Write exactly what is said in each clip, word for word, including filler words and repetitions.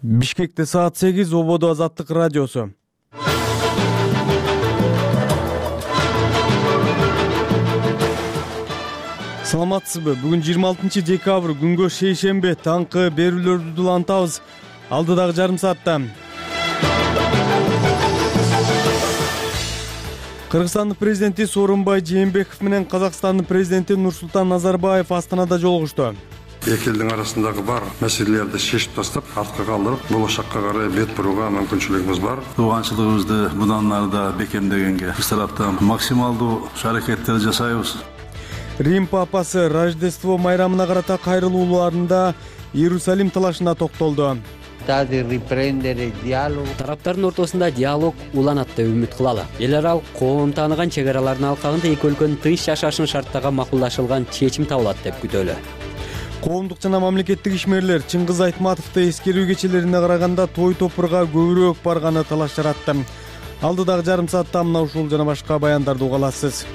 Бишкекте саат сегиз, Ободо Азаттык радиосу. Саламатсызбы? Бүгүн жыйырма алтынчы декабрь, күнгө шейшембе, таңкы берүүлөрдү улантабыз. Алдыдагы жарым саатта Кыргызстандын президенти Сооронбай Жээнбеков менен Казакстандын президенти Нурсултан Назарбаев Астанада жолугушту. Эки элдин арасындагы бар маселелерди чечип тастап, артка калдырып, болочокко карай бет бурууга мүмкүнчүлүгүбүз бар. Тууганчылыгыбызды мындан нарда бекемдегенге биз тараптан максималдуу аракеттер жасайбыз. Рим папасы Рождество майрамына карата кайрылууларында Иерусалим талашына токтолду. Тараптардын ортосунда диалог уланат деп үмүт кылалы. Эл аралык коом тааныган чек аралардын алкагында эки өлкөнүн тынч жашашын шарттаган макулдашылган чечим табылат деп күтөлү. Коомдук жана мамлекеттик ишмерлер Чыңгыз Айтматовду эскерүү кечелерине караганда той топурга көбүрөөк барганы талаш жаратты. Алдыдагы жарым саатта мына ушул жана башка баяндарды уга аласыз.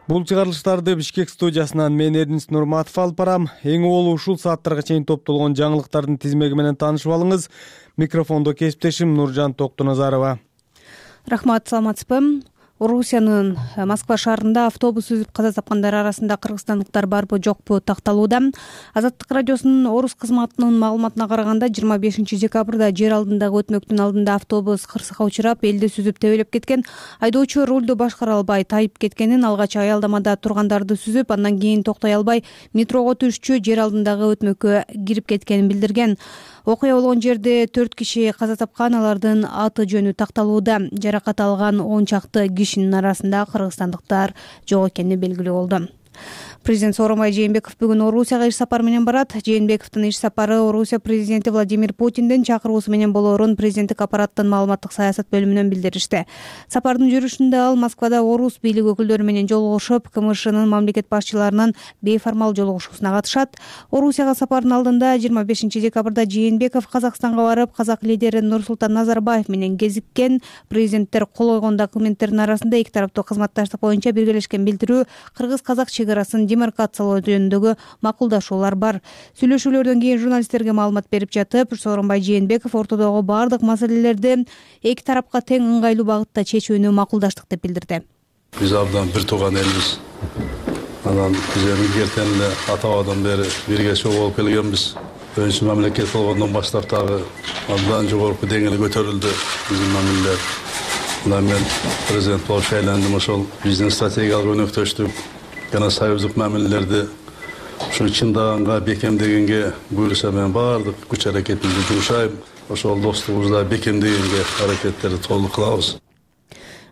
Бул чыгарылыштарды Бишкек студиясынан мен Эрдинис Нурматов алып барам. Эң оболу ушул сааттарга чейин топтолгон жаңылыктардын тизмеги менен таанышып алыңыз. Микрофондо кесиптешим Нуржан Токтуназарова. Рахмат, саламатсызбы? Орусиянын Москва шаарында автобус үзүп каза тапкандар арасында кыргызстандыктар барбы жокпу такталууда. Азаттык радиосунун Орус кызматынын маалыматына караганда жыйырма бешинчи декабрда жер алдындагы өтмөктүн алдында автобус кырсыкка учурап, элди сүзүп тебелеп кеткен. Айдоочу рулду башкара албай тайып кеткенин, алгач аялдамада тургандарды сүзүп, андан кийин токтой албай метрого түшчү жер алдындагы өтмөккө кирип кеткенин билдирген. Окуя болгон жерде төрт киши каза тапкан, алардын аты жөнү такталууда. Жаракат алган он чакты кишинин арасында кыргызстандыктар жок экени белгилүү болду. Президент Сооронбай Жээнбеков бүгүн Орусияга иш сапары менен барат. Жээнбековдун иш сапары Орусия президенти Владимир Путиндин чакыруусу менен болоорун президенттик аппараттын маалыматтык саясат бөлүмүнөн билдиришти. Сапардын жүрүшүндө ал Москвада Орус бийлик өкүлдөрү менен жолугушуп, КМШнын мамлекет башчыларынын бейформал жолугушуусуна катышат. Орусияга сапардын алдында жыйырма бешинчи декабрда Жээнбеков Казакстанга барып, казак лидери Нурсултан Назарбаев менен кезиккен. Президенттер кол койгон документтердин арасында эки тараптуу кызматташтык боюнча биргелешкен билдирүү, кыргыз-казак чек арасын демаркациялоо жөнүндөгү макулдашуулар бар. Сүйлөшүүлөрдөн кийин журналисттерге маалымат берип жатып, Сооронбай Жээнбеков ортодогу бардык маселелерди эки тарапка тең ыңгайлуу багытта чечүүнү макулдаштык деп билдирди. Биз абдан бир тууган элбиз. Анан биз эми эртең эле ата-бабадан бери бирге чогуу болуп келгенбиз. Өз мамлекет болгондон баштап дагы абдан жогорку деңгээлге көтөрүлдү биздин мамилелер. Мына мен президент болуп шайландым, ошол биздин стратегиялык өнөктөштүк жана союздук мамилелерди ушу чындаганга, бекемдегенге буюрса мен баардык күч аракетимди жумшайм. Ошол достугубузда бекемдегенге аракеттерди толук кылабыз.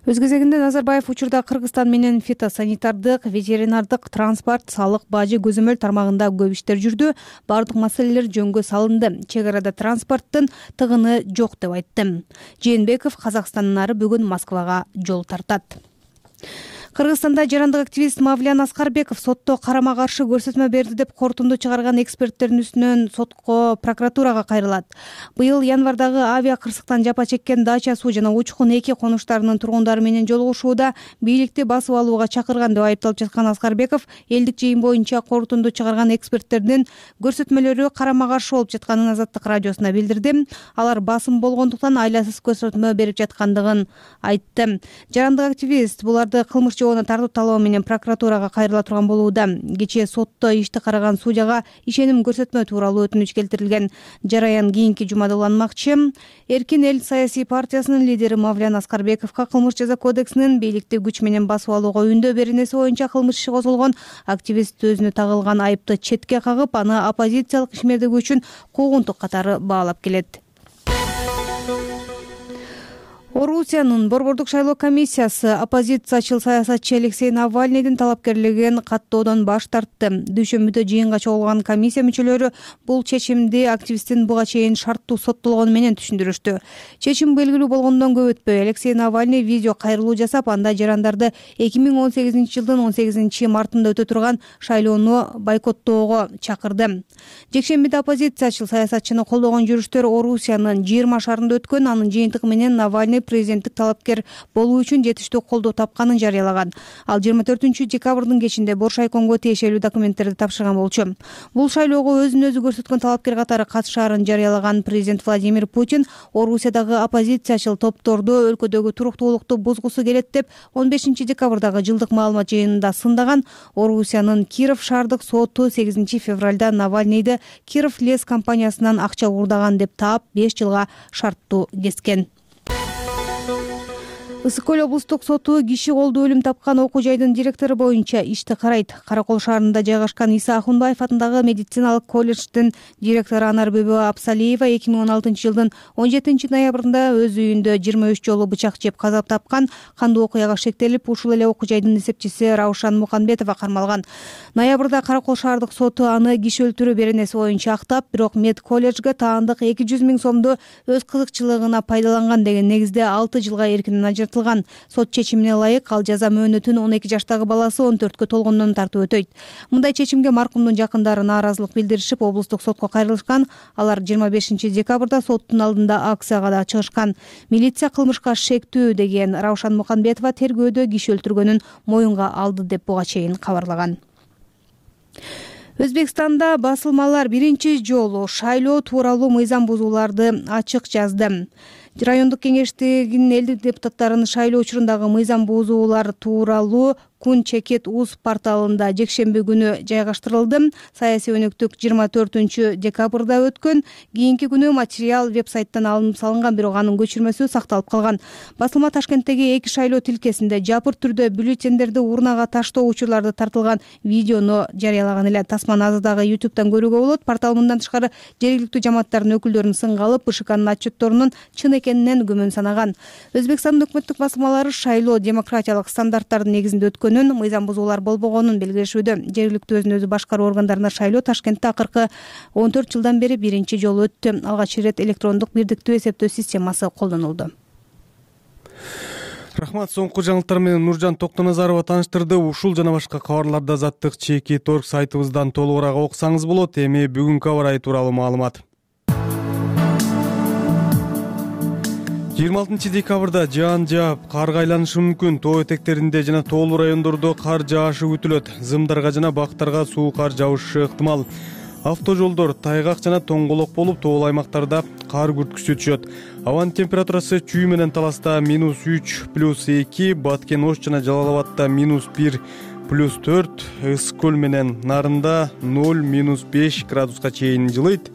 Өз кезегинде Назарбаев учурда Кыргызстан менен фитосанитардык, ветеринардык, транспорт, салык, бажы, көзөмөл тармагында көп иштер жүрдү. Бардык маселелер жөнгө салынды. Чек арада транспорттун тыгыны жок деп айтты. Жээнбеков Казакстандан ары бүгүн Москвага жол тартат. Кыргызстанда жарандык активист Мавлян Аскарбеков сотто карама-каршы көрсөтмө берди деп корутунду чыгарган эксперттердин үстүнөн сотко прокуратурага кайрылат. Быйыл январдагы авиа кырсыктан жапа чеккен Дача суу жана Учкун эки конуштарынын тургундары менен жолугушууда бийликти басып алууга чакырган деп айыпталып жаткан Аскарбеков элдик жыйын боюнча корутунду чыгарган эксперттердин көрсөтмөлөрү карама-каршы болуп жатканын Азаттык радиосуна билдирди. Алар басым болгондуктан айласыз көрсөтмө берип жаткандыгын айтты. Жарандык активист буларды кылмыш жоона тартуу талоо менен прокуратурага кайрыла турган болууда. Кечээ сотто ишти караган судьяга ишеним көрсөтмө тууралуу өтүнүч келтирилген. Жараян кийинки жумада уланмакчы. Эркин эл саясий партиясынын лидери Мавлян Аскарбековго кылмыш жаза кодексинин бийликти күч менен басып алууга үндөө беренеси боюнча кылмыш иши козголгон. Активист өзүнө тагылган айыпты четке кагып, аны оппозициялык ишмердиги үчүн куугунтук катары баалап келет. Орусиянын Борбордук шайлоо комиссиясы оппозициячыл саясатчы Алексей Навальныйдын талапкерлигин каттоодон баш тартты. Дүйшөмбүдө жыйынга чогулган комиссия мүчөлөрү бул чечимди активисттин буга чейин шарттуу соттолгону менен түшүндүрүштү. Чечим белгилүү болгондон көп өтпөй Алексей Навальный видео кайрылуу жасап, анда жарандарды эки миң он сегизинчи жылдын он сегизинчи мартында өтө турган шайлоону бойкоттоого чакырды. Жекшембиде оппозициячыл саясатчыны колдогон жүрүштөр Орусиянын жыйырма шаарында өткөн. Анын жыйынтыгы менен Навальный президенттик талапкер болуу үчүн жетиштүү колдоо тапканын жарыялаган. Ал жыйырма төртүнчү декабрдын кечинде Боршайкомго тиешелүү документтерди тапшырган болчу. Бул шайлоого өзүн өзү көрсөткөн талапкер катары катышаарын жарыялаган президент Владимир Путин Орусиядагы оппозициячыл топторду өлкөдөгү туруктуулукту бузгусу келет деп он бешинчи декабрдагы жылдык маалымат жыйынында сындаган. Орусиянын Киров шаардык соту сегизинчи февралда Навальныйды Киров лес компаниясынан акча уурдаган деп таап беш жылга шарттуу кескен. Ысык көл облустук соту киши колдуу өлүм тапкан окуу жайдын директору боюнча ишти карайт. Каракол шаарында жайгашкан Иса Ахунбаев атындагы медициналык колледждин директору Анар Бөбө Абсалиева эки миң он алтынчы жылдын он жетинчи ноябрында өз үйүндө жыйырма үч жолу бычак жеп каза тапкан. Кандуу окуяга шектелип, ушул эле окуу жайдын эсепчиси Раушан Муканбетова кармалган. Ноябрда Каракол шаардык соту аны киши өлтүрүү беренеси боюнча актап, бирок мед колледжге таандык эки жүз миң сомду өз кызыкчылыгына пайдаланган деген негизде алты жылга эркинен ажыртылган. Сот чечимине ылайык ал жаза мөөнөтүн он эки жаштагы баласы он төрткө толгондон тартып өтөйт. Мындай чечимге маркумдун жакындары нааразылык билдиришип, облустук сотко кайрылышкан. Алар жыйырма бешинчи декабрда соттун алдында акцияга да чыгышкан. Милиция кылмышка шектүү деген Раушан Муканбетова тергөөдө киши өлтүргөнүн моюнга алды деп буга чейин кабарлаган. Өзбекстанда басылмалар биринчи жолу шайлоо тууралуу мыйзам бузууларды ачык жазды. Райондук кеңештигинин элдик депутаттарынын шайлоо учурундагы мыйзам бузуулар тууралуу Күн Чекет Уз порталында жекшемби күнү жайгаштырылды. Саясий өнөктүк жыйырма төртүнчү декабрда өткөн. Кийинки күнү материал веб-сайттан алынып салынган, бирок анын көчүрмөсү сакталып калган. Басылма Ташкенттеги эки шайлоо тилкесинде жапыр түрдө бюллетендерди урнага таштоо учурларды тартылган видеону жарыялаган эле. Тасманы азыр дагы ютубтан көрүүгө болот. Портал мындан тышкары жергиликтүү жамааттардын өкүлдөрүн сынга алып, БШКнын отчетторунун чын экенинен күмөн санаган. Өзбекстандын өкмөттүк басылмалары шайлоо демократиялык стандарттардын негизинде өткөн, мыйзам бузуулар болбогонун белгилешүүдө. Жергиликтүү өзүн өзү башкаруу органдарына шайлоо Ташкентте акыркы он төрт жылдан бери биринчи жолу өттү. Алгач ирет электрондук бирдиктүү эсептөө системасы колдонулду. Рахмат. Соңку жаңылыктар менен Нуржан Токтоназарова тааныштырды. Ушул жана башка кабарларды азаттык чеки торг сайтыбыздан толугураак окусаңыз болот. Эми бүгүнкү аба ырайы тууралуу маалымат. жыйырма алтынчы декабрда жаан жаап, карга айланышы мүмкүн. Тоо этектеринде жана тоолуу райондордо кар жаашы күтүлөт. Зымдарга жана бактарга суу кар жабышы ыктымал. Автожолдор тайгак жана тоңголок болуп, тоолуу аймактарда кар күрткүсү түшөт. Абанын температурасы Чүй менен Таласта минус үч плюс эки, Баткен Ош жана Жалал Абадта минус бир плюс төрт, Ысык көл менен Нарында ноль минус беш градуска чейин жылыйт.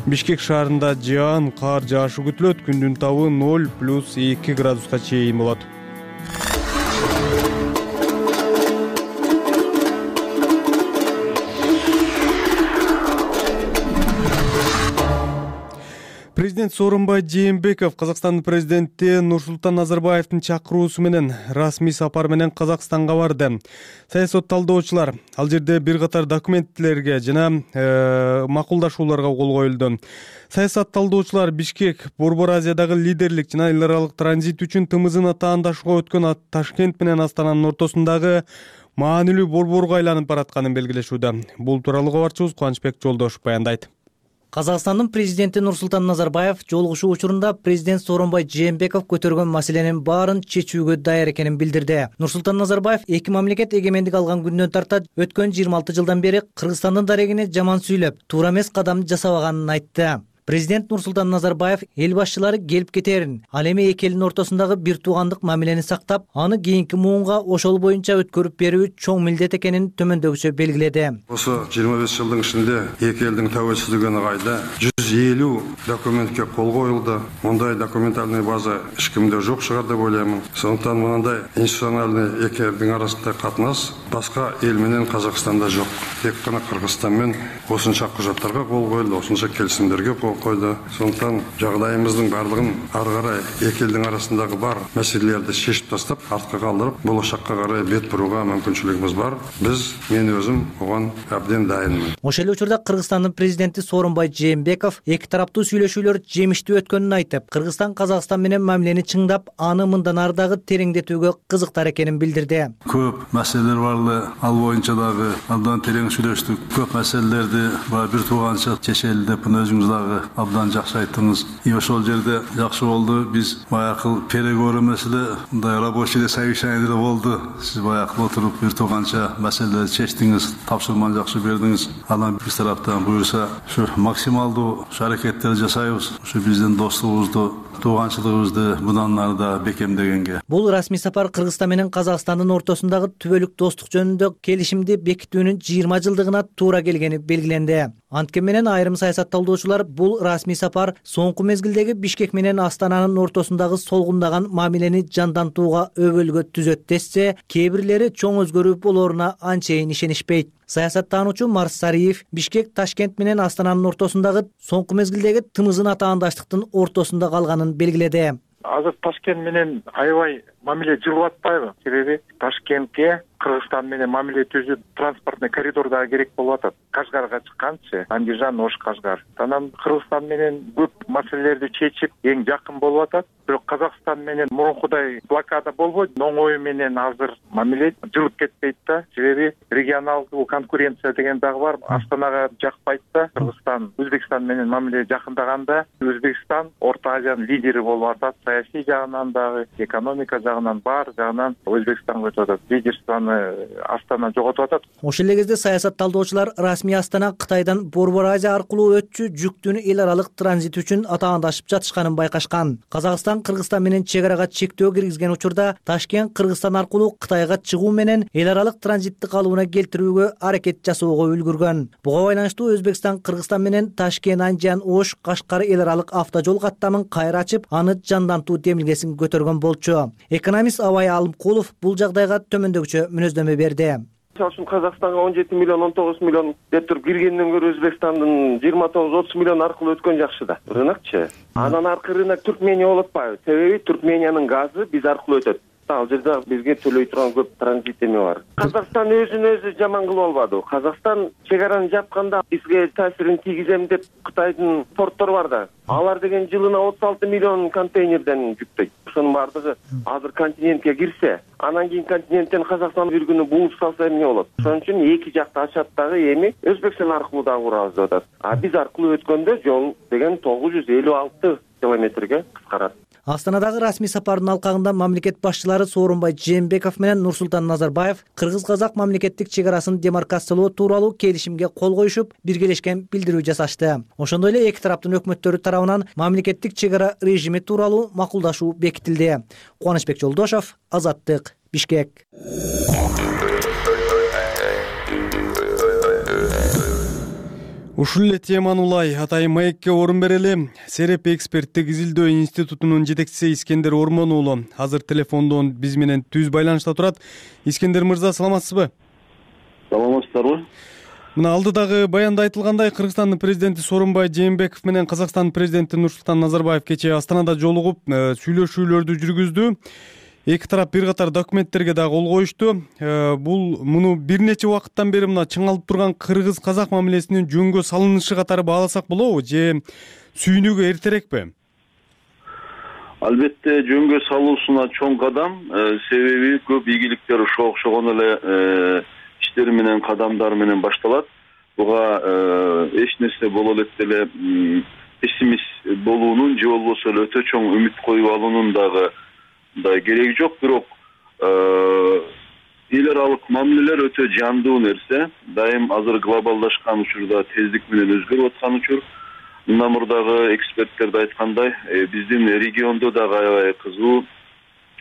Бишкек шаарында жаан, кар жаашы күтүлөт. Күндүн табы ноль плюс эки градуска чейин болот. Президент Сооронбай Жээнбеков Казакстандын президенти Нурсултан Назарбаевдин чакыруусу менен расмий сапар менен Казакстанга барды. Саясат талдоочулар ал жерде бир катар документлерге жана э, макулдашууларга кол коюлду. Саясат талдоочулар Бишкек Борбор Азиядагы лидерлик жана эл аралык транзит үчүн тымызына таандашууга өткөн Ташкент менен Астананын ортосундагы маанилүү борборго айланып баратканын белгилешүүдө. Бул тууралуу кабарчыбыз Кубанычбек Жолдошев баяндайт. Казакстандын президенти Нурсултан Назарбаев жолугушуу учурунда президент Сооронбай Жээнбеков көтөргөн маселенин баарын чечүүгө даяр экенин билдирди. Нурсултан Назарбаев эки мамлекет эгемендик алган күндөн тарта өткөн жыйырма алты жылдан бери Кыргызстандын дарегине жаман сүйлөп, туура эмес кадам жасабаганын айтты. Президент Нурсултан Назарбаев эл башчылары келип кетерин, ал эми эки элдин ортосундагы бир туугандык мамилени сактап, аны кийинки муунга ошол боюнча өткөрүп берүү чоң милдет экенин төмөндөгүчө белгиледи. Осы жыйырма беш жылдын ичинде эки элдин тәуелсиздиги нығайды. жүз элүү документке кол коюлду. Мындай документальный база эч кимде жок шығар деп ойлоймун. Сондуктан мындай институциональный эки элдин арасында катнаш башка эл менен Казакстанда жок. Тек гана Кыргызстан менен осунча кужаттарга кол коюлду, осунча келисимдерге кол койду. Сондуктан жагдайыбыздын баардыгын ары карай эки элдин арасындагы бар маселелерди чечип тастап, артка калдырып, болочокко карай бет бурууга мүмкүнчүлүгүбүз бар. Биз, мен өзүм огон абден дайынмын. Ошол эле учурда Кыргызстандын президенти Сооронбай Жээнбеков эки тараптуу сүйлөшүүлөр жемиштүү өткөнүн айтып, Кыргызстан Казакстан менен мамилени чыңдап, аны мындан ары дагы тереңдетүүгө кызыктар экенин билдирди. Көп маселелер барды, ал боюнча дагы абдан терең сүйлөштүк. Көп маселелерди бир тууганча чечели деп өзүңүз дагы абдан жакшы айттыңыз. И ошол жерде жакшы болду. Биз баягы переговоры маселе мындай рабочий совещание да болду. Сиз баягы отуруп бир тууганча маселелерди чечтиңиз, тапшырманы жакшы бердиңиз. Анан биз тараптан буюрса ушу максималдуу аракеттерди жасайбыз. Ушу биздин достугубузду, тууганчылыгыбызды мындан ары да бекемдегенге. Бул расмий сапар Кыргызстан менен Казакстандын ортосундагы түбөлүк достук жөнүндө келишимди бекитүүнүн жыйырма жылдыгына туура келгени белгиленди. Анткени менен айрым саясатталуучулар бул расмий сапар соңку мезгилдеги Бишкек менен Астананын ортосундагы солгундаган мамилени жандантууга өбөлгө түзөт десе, кээ бирлери чоң өзгөрүү болоруна анчейин ишенишпейт. Саясаттануучу Марс Сариев Бишкек Ташкент менен Астананын ортосундагы соңку мезгилдеги тымызын атаандаштыктын ортосунда калганын белгиледи. Азыр Ташкент менен аябай мамиле жылып атпайбы? Себеби Ташкентке Кыргызстан менен мамиле түзүп транспортный коридор дагы керек болуп атат. Кашгарга чыкканчы, Андижан, Ош, Кашгар. Анан Кыргызстан менен көп маселелерди чечип, эң жакын болуп атат. Бирок Казакстан менен мурункудай блокада болбойт. Оңой менен азыр мамиле жылып кетпейт да. Себеби регионалдуу конкуренция деген дагы бар. Астанага жакпайт да. Кыргызстан Өзбекстан менен мамиле жакындаганда Өзбекстан Орто Азиянын лидери болуп атат. Саясий жагынан дагы, экономика жагынан бар жагынан Өзбекстанга өтүп атат. Лидерствону Астана жоготуп атат. Ошол эле кезде саясатталуучулар расмий Астана Кытайдан Борбор Азия аркылуу өтчү жүктүүнү эл аралык транзит үчүн атаандашып жатышканын байкашкан. Казакстан Кыргызстан менен чек арага чектөө киргизген учурда Ташкент Кыргызстан аркылуу Кытайга чыгуу менен эл аралык транзитти калыбына келтирүүгө аракет жасоого үлгүргөн. Буга байланыштуу Өзбекстан Кыргызстан менен Ташкент, Андижан, Ош, Кашкар эл аралык автожол каттамын кайра ачып, аны жандантуу демилгесин көтөргөн болчу. Экономист Абай Алымкулов бул жагдайга төмөндөгүчө мүнөздөмө берди. Мисалы үчүн Казакстанга он жети миллион, он тогуз миллион деп туруп киргенден көрө Өзбекстандын жыйырма тогуз, отуз миллион аркылуу өткөн жакшы да. Рынокчу. Анан аркы рынок Түркмения болуп атпайбы? Себеби Түркмениянын газы биз аркылуу өтөт. Ал жерде бизге төлөй турган көп транзит эме бар. Казакстан өзүн өзү жаман кылып албады. Казакстан чек араны жапканда бизге таасирин тийгизем деп Кытайдын порттор бар да. Алар деген жылына отуз алты миллион контейнерден жүктөйт. Ошонун бардыгы азыр континентке кирсе, анан кийин континенттен Казакстан бир күнү бууп салса эмне болот? Ошон үчүн эки жакты ачат дагы эми Өзбекстан аркылуу дагы курабыз деп атат. А биз аркылуу өткөндө жол деген тогуз жүз элүү алты километрге кыскарат. Астанадагы расмий сапардын алкагында мамлекет башчылары Сооронбай Жээнбеков менен Нурсултан Назарбаев кыргыз-казак мамлекеттик чек арасын демаркациялоо тууралуу келишимге кол коюшуп, биргелешкен билдирүү жасашты. Ошондой эле эки тараптын өкмөттөрү тарабынан мамлекеттик чек ара режими тууралуу макулдашуу бекитилди. Кубанычбек Жолдошов, Азаттык, Бишкек. Ушул эле теманы улай атайын маекке орун берели. Сереп эксперттик изилдөө институтунун жетекчиси Искендер Ормон уулу азыр телефондон биз менен түз байланышта турат. Искендер мырза, саламатсызбы? Саламатсыздарбы? Мына алдыдагы баянда айтылгандай, Кыргызстандын президенти Сооронбай Жээнбеков менен Казакстандын президенти Нурсултан Назарбаев кечээ Астанада жолугуп сүйлөшүүлөрдү жүргүздү. Эки тарап бир катар документтерге да кол коюшту. Бул муну бир нече убакыттан бери мына чыңалып турган кыргыз-казак мамилесинин жөнгө салынышы катары бааласак болобу же сүйүнүүгө эртерекпи? Албетте жөнгө салуусуна чоң кадам, себеби көп ийгиликтер ошо окшогон эле иштер менен, кадамдар менен башталат. Буга эч нерсе боло элек деле пессимист болуунун же болбосо эле өтө чоң үмүт коюп алуунун дагы да кереги жок. Бирок эл аралык мамилелер өтө жандуу нерсе. Дайым азыр глобалдашкан учурда тездик менен өзгөрүп аткан учур. Мындан мурдагы эксперттер да айткандай, биздин региондо дагы аябай кызуу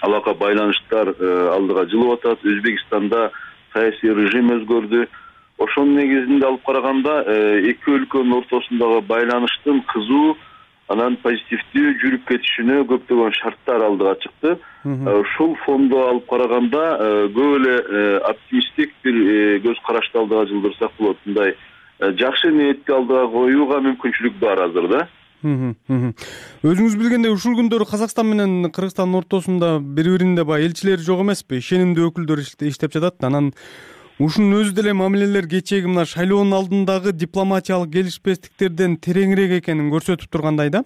алака байланыштар алдыга жылып атат. Өзбекстанда саясий режим өзгөрдү. Ошонун негизинде алып караганда эки өлкөнүн ортосундагы байланыштын кызуу анан позитивдүү жүрүп кетишине көптөгөн шарттар алдыга чыкты. Ушул фондо алып караганда көп эле оптимисттик бир көз карашты алдыга жылдырсак болот. Мындай жакшы ниетти алдыга коюуга мүмкүнчүлүк бар азыр да. Өзүңүз билгендей, ушул күндөрү Казакстан менен Кыргызстандын ортосунда бири-биринде баягы элчилери жок эмеспи? Ишенимдүү өкүлдөр иштеп жатат. Анан ушунун өзү деле мамилелер кечээги мына шайлоонун алдындагы дипломатиялык келишпестиктерден тереңирээк экенин көрсөтүп тургандай да.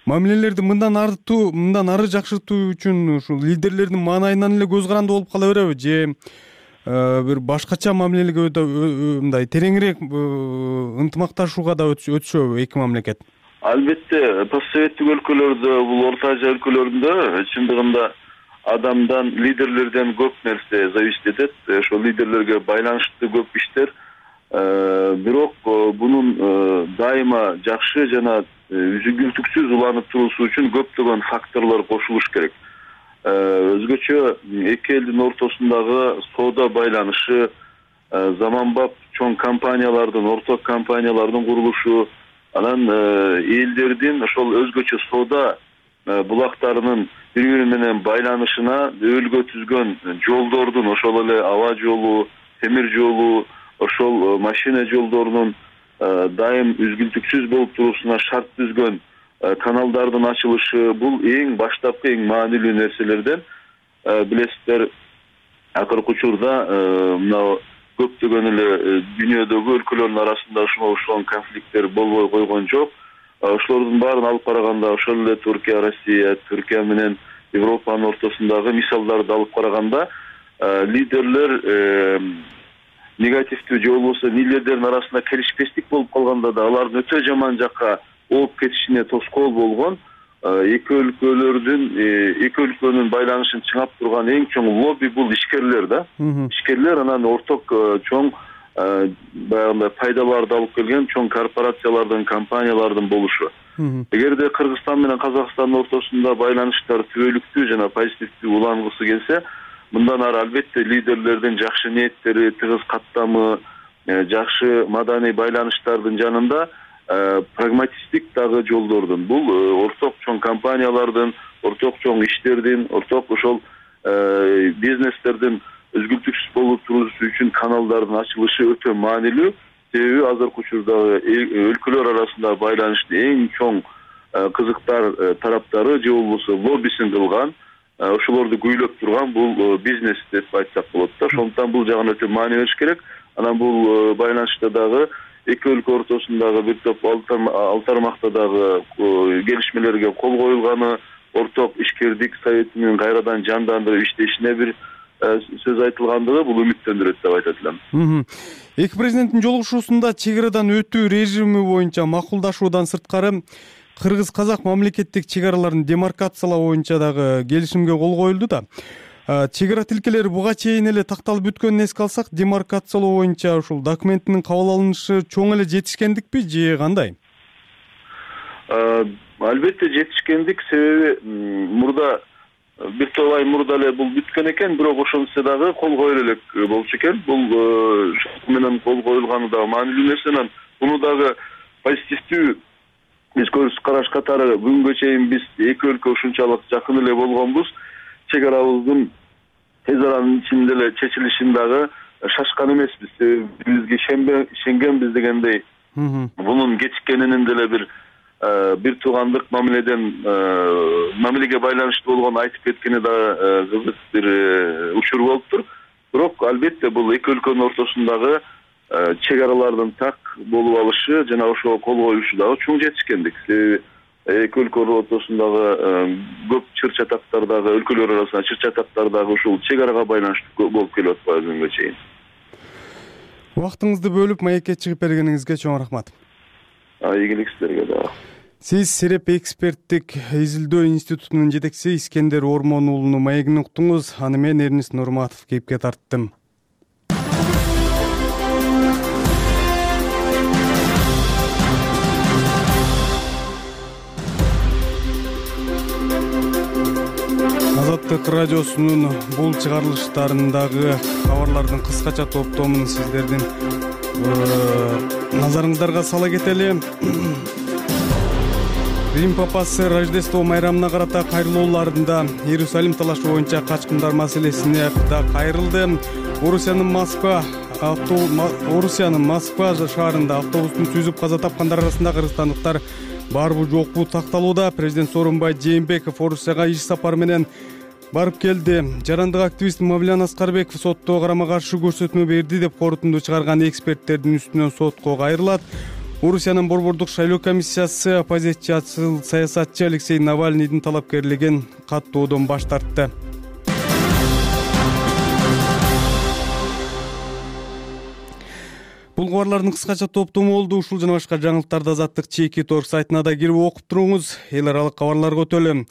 Мамилелерди мындан артуу, мындан ары жакшыртуу үчүн ушул лидерлердин маанайынан эле көз каранды болуп кала береби же бир башкача мамилелерге мындай тереңирээк ынтымакташууга да өтүшөбү эки мамлекет? Албетте постсоветтик өлкөлөрдө, бул Орто Азия өлкөлөрүндө чындыгында адамдан, лидерлерден көп нерсе зависит этет. Ошол лидерлерге байланыштуу көп иштер. Бирок бунун дайыма жакшы жана үзгүлтүксүз уланып туруусу үчүн көптөгөн факторлор кошулуш керек. Өзгөчө эки элдин ортосундагы соода байланышы, заманбап чоң компаниялардын, орток компаниялардын курулушу, анан элдердин ошол өзгөчө соода булактарынын бири бири менен байланышына өбөлгө түзгөн жолдордун, ошол эле аба жолу, темир жолу, ошол машина жолдорунун дайым үзгүлтүксүз болуп туруусуна шарт түзгөн каналдардын ачылышы, бул эң баштапкы, эң маанилүү нерселерден. Билесиздер, акыркы учурда мына көптөгөн эле дүйнөдөгү өлкөлөрдүн арасында ушуга окшогон конфликттер болбой койгон жок. Ошолордун баарын алып караганда, ошол эле Түркия, Россия, Түркия менен Европанын ортосундагы мисалдарды алып караганда, лидерлер негативдүү же болбосо лидерлердин арасында келишпестик болуп калганда да алардын өтө жаман жакка ооп кетишине тоскоол болгон, эки өлкөлөрдүн, эки өлкөнүн байланышын чыңап турган эң чоң лобби бул ишкерлер да. Ишкерлер анан орток чоң баягындай пайдаларды алып келген чоң корпорациялардын, компаниялардын болушу. Эгерде Кыргызстан менен Казакстандын ортосунда байланыштар түбөлүктүү жана позитивдүү улангысы келсе, мындан ары албетте лидерлердин жакшы ниеттери, тыгыз каттамы, жакшы маданий байланыштардын жанында прагматисттик дагы жолдордун, бул орток чоң компаниялардын, орток чоң иштердин, орток ошол бизнестердин өзгүлтүксүз болуп туруусу үчүн каналдардын ачылышы өтө маанилүү. Себеби азыркы учурдагы өлкөлөр арасында байланыштын эң чоң кызыктар тараптары же болбосо лоббисин кылган, ошолорду күйлөп турган бул бизнес деп айтсак болот да. Ошондуктан бул жагын өтө маани бериш керек. Анан бул байланышта дагы эки өлкө ортосундагы бир топ ал тармакта дагы келишмелерге кол коюлганы, орток ишкердик советинин кайрадан жандандырып иштешине бир сөз айтылгандыгы бул үмүттөндүрөт деп айтат элем. Эки президенттин жолугушуусунда чек арадан өтүү режими боюнча макулдашуудан сырткары кыргыз-казак мамлекеттик чек араларын демаркациялоо боюнча дагы келишимге кол коюлду да. Чек ара тилкелери буга чейин эле такталып бүткөнүн эске алсак, демаркациялоо боюнча ушул документтин кабыл алынышы чоң эле жетишкендикпи же кандай? Албетте жетишкендик, себеби мурда бир топ ай мурда эле бул бүткөн экен, бирок ошончо дагы кол коюла элек болчу экен. Бул менен кол коюлганы дагы маанилүү нерсе. Анан буну дагы позитивдүү көз караш катары бүгүнгө чейин биз эки өлкө ушунчалык жакын эле болгонбуз. Чек арабыздын тез аранын ичинде эле чечилишин дагы шашкан эмеспиз. Бизге ишенгенбиз дегендей, бунун кечиккенинин деле бир бир туугандык мамиледен мамилеге байланыштуу болгон айтып кеткени да кызык бир учур болуптур. Бирок албетте бул эки өлкөнүн ортосундагы чек аралардын так болуп алышы жана ошого кол коюшу дагы чоң жетишкендик. Себеби эки өлкө ортосундагы көп чыр чатактардагы, өлкөлөр арасында чыр чатактардагы ушул чек арага байланыштуу болуп келип атпайбы бүгүнгө чейин. Убактыңызды бөлүп маекке чыгып бергениңизге чоң рахмат. Ийгилик сиздерге дагы. Сиз Сереп эксперттик изилдөө институтунун жетекчиси Искендер Ормон уулунун маегин уктуңуз. Аны мен Эрнис Нурматов кепке тарттым. Азаттык радиосунун бул чыгарылыштарындагы кабарлардын кыскача топтомун сиздердин назарыңыздарга сала кетели. Рим папасы Рождество майрамына карата кайрылууларында Иерусалим талашы боюнча качкындар маселесине да кайрылды. Орусиянын Москва Орусиянын Москва шаарында автобустун сүзүп каза тапкандар арасында кыргызстандыктар барбы жокпу такталууда. Президент Сооронбай Жээнбеков Орусияга иш сапары менен барып келди. Жарандык активист Мавлен Аскарбеков сотто карама каршы көрсөтмө берди деп корутунду чыгарган эксперттердин үстүнөн сотко кайрылат. Орусиянын борбордук шайлоо комиссиясы оппозициячыл саясатчы Алексей Навальныйдын талапкерлигин каттоодон баш тартты. Бул кабарлардын кыскача топтому болду. Ушул жана башка жаңылыктарды Азаттык чеки торг сайтына да кирип окуп туруңуз. Эл аралык кабарларга өтөлү.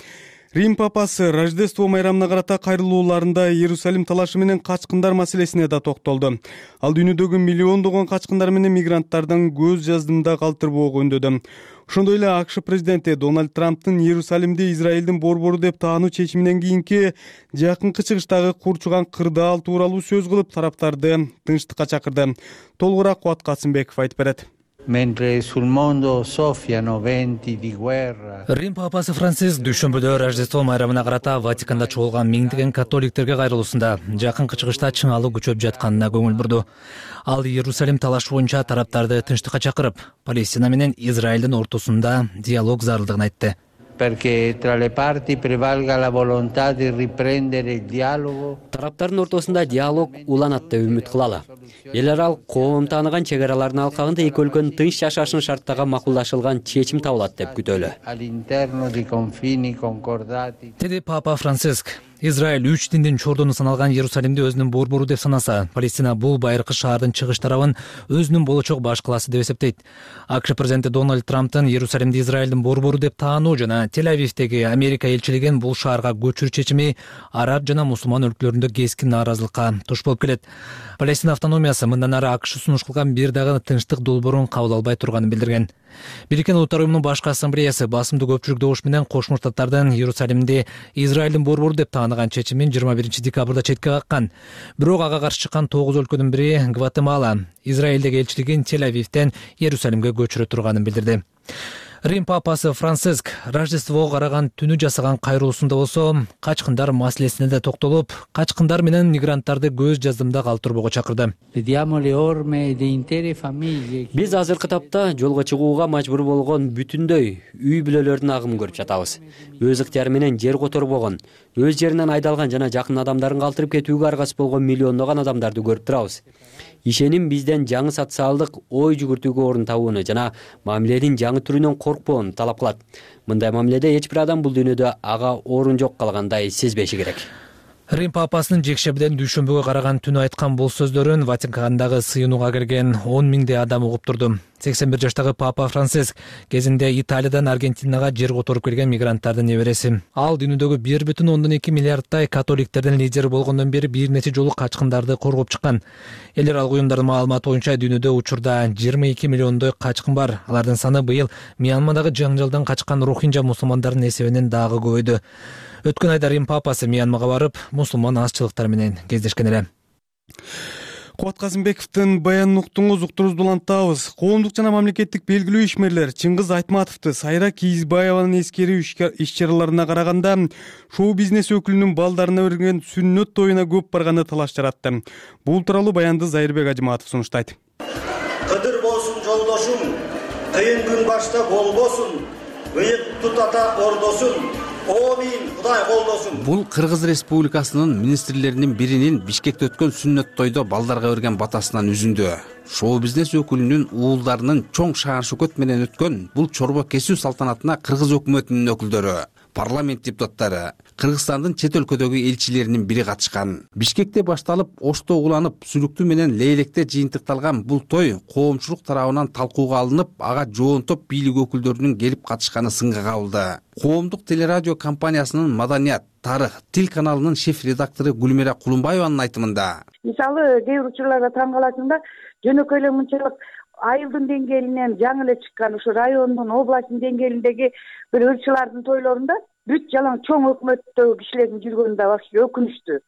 Рим папасы Рождество майрамына карата кайрылууларында Иерусалим талашы менен качкындар маселесине да токтолду. Ал дүйнөдөгү миллиондогон качкындар менен мигранттардын көз жаздымда калтырбоого үндөдү. Ошондой эле АКШ президенти Дональд Трамптын Иерусалимди Израилдин борбору деп таануу чечиминен кийинки жакынкы чыгыштагы курчуган кырдаал тууралуу сөз кылып, тараптарды тынчтыкка чакырды. Толугураак Кубат Касымбеков айтып берет. Mentre sul mondo soffiano venti di guerra. Рим папасы Франциск дүйшөмбүдө Рождество майрамына карата Ватиканда чогулган миңдеген католиктерге кайрылуусунда жакынкы чыгышта чыңалуу күчөп жатканына көңүл бурду. Ал Иерусалим талашы боюнча тараптарды тынчтыкка чакырып, Палестина менен Израилдин ортосунда диалог зарылдыгын айтты. Perché tra le parti prevalga la volontà di riprendere il dialogo. Тараптардын ортосунда диалог уланат деп үмүт кылалы. Эл аралык коом тааныган чек аралардын алкагында эки өлкөнүн тынч жашашын шарттага макулдашылган чечим табылат деп күтөлү. All'interno di confini concordati. Деди Папа Франциск. Израиль үч диндин чордону саналган Иерусалимди өзүнүн борбору деп санаса, Палестина бул байыркы шаардын чыгыш тарабын өзүнүн болочок баш калаасы деп эсептейт. АКШ президенти Дональд Трамптын Иерусалимди Израилдин борбору деп таануу жана Тель-Авивдеги Америка элчилигин бул шаарга көчүрүү чечими араб жана мусулман өлкөлөрүндө кескин нааразылыкка туш болуп келет. Палестина автономиясы мындан ары АКШ сунуш кылган бир дагы тынчтык долбоорун кабыл албай турганын билдирген. Бириккен Улуттар уюмунун башкы ассамблеясы басымдуу көпчүлүк добуш менен Кошмо Штаттардын Иерусалимди Израилдин борбору деп таанаган чечимин жыйырма биринчи декабрда четке каккан. Бирок ага каршы чыккан тогуз өлкөнүн бири Гватемала Израилдеги элчилигин Тель-Авивден Иерусалимге көчүрө турганын билдирди. Рим папасы Франциск Рождествого караган түнү жасаган кайрылуусунда болсо, качкындар маселесине да токтолуп, качкындар менен мигранттарды көз жаздымда калтырбоого чакырды. Биз азыркы тапта жолго чыгууга мажбур болгон бүтүндөй үй бүлөлөрдүн агымын көрүп жатабыз. Өз ыктыяры менен жер которбогон, өз жеринен айдалган жана жакын адамдарын калтырып кетүүгө аргасыз болгон миллиондогон адамдарды көрүп турабыз. Ишеним бизден жаңы социалдык ой жүгүртүүгө орун табууну жана мамиленин жаңы түрүнөн коркпоону талап кылат. Мындай мамиледе эч бир адам бул дүйнөдө ага орун жок калгандай сезбеши керек. Рим папасынын жекшембиден дүйшөмбүгө караган түнү айткан бул сөздөрүн Ватикандагы сыйынууга келген он миңдей адам угуп турду. сексен бир жаштагы Папа Франциск кезинде Италиядан Аргентинага жер которуп келген мигранттардын небереси. Ал дүйнөдөгү бир бүтүн ондон эки миллиардтай католиктердин лидери болгондон бери бир нече жолу качкындарды коргоп чыккан. Эл аралык уюмдардын маалыматы боюнча дүйнөдө учурда жыйырма эки миллиондой качкын бар. Алардын саны быйыл Мьянмадагы жаңжалдан качкан рохинжа мусулмандардын эсебинен дагы көбөйдү. Өткөн айда Рим папасы Мьянмага барып, мусулман азчылыктар менен кездешкен эле. Кубат Касымбековдун баянын уктуңуз, уктуруубузду улантабыз. Коомдук жана мамлекеттик белгилүү ишмерлер Чыңгыз Айтматовду Сайра Кийизбаеванын эскерүү иш-чараларына караганда шоу-бизнес өкүлүнүн балдарына берген сүннөт тоюна көп барганы талаш жаратты. Бул тууралуу баянды Зайырбек Ажыматов сунуштайт. Кыдыр болсун жолдошум, кыйын күн башта болбосун, ыйык тутата ордосун. Кудай колдосун. Бул Кыргыз Республикасынын министрлеринин биринин Бишкекте өткөн сүннөт тойдо балдарга берген батасынан үзүндү. Шоу-бизнес өкүлүнүн уулдарынын чоң шаар-шөкөт менен өткөн бул чорбо кесүү салтанатына Кыргыз өкмөтүнүн өкүлдөрү, парламент депутаттары, Кыргызстандын чет өлкөдөгү элчилеринин бири катышкан. Бишкекте башталып, Ошто уланып, Сүлүктүү менен Лейлекте жыйынтыкталган бул той коомчулук тарабынан талкууга алынып, ага жоонтоп бийлик өкүлдөрүнүн келип катышканы сынга кабылды. Коомдук телерадио компаниясынын Маданият, Тарых, Тил каналынын шеф-редактору Гүлмира Кулумбаеванын айтымында. Мисалы, кээ бир учурларда таң каласың да, жөнөкөй эле мынчалык айылдын деңгээлинен жаңы эле чыккан ушу райондун, областтын деңгээлиндеги бир ырчылардын тойлорунда бүт жалаң чоң өкмөттөгү кишилердин жүргөнү да вообще өкүнүчтүү.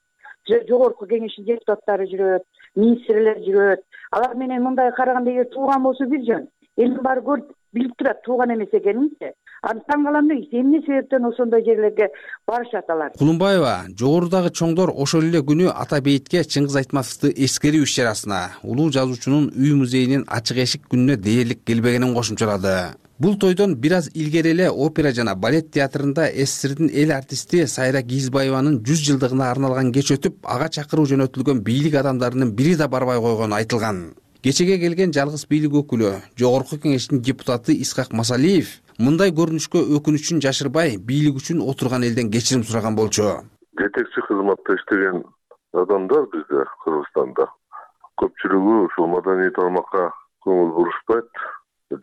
Жогорку кеңештин депутаттары жүрөт, министрлер жүрөт. Алар менен мындай караганда эгер тууган болсо бир жөн, элдин баары көрүп билип турат тууган эмес экенинчи. Аны таң калам да, эмне себептен ошондой жерлерге барышат алар. Кулумбаева жогорудагы чоңдор ошол эле күнү Ата бейитке Чыңгыз Айтматовду эскерүү иш-чарасына, улуу жазуучунун үй музейинин ачык эшик күнүнө дээрлик келбегенин кошумчалады. Бул тойдон бир аз илгери эле опера жана балет театрында СССРдин эл артисти Сайра Кийизбаеванын жүз жылдыгына арналган кеч өтүп, ага чакыруу жөнөтүлгөн бийлик адамдарынын бири да барбай койгону айтылган. Кечеге келген жалгыз бийлик өкүлү, жогорку кеңештин депутаты Исхак Масалиев мындай көрүнүшкө өкүнүчүн жашырбай, бийлик үчүн отурган элден кечирим сураган болчу. Жетекчи кызматта иштеген адамдар бизде Кыргызстанда көпчүлүгү ушул маданий тармакка көңүл бурушпайт.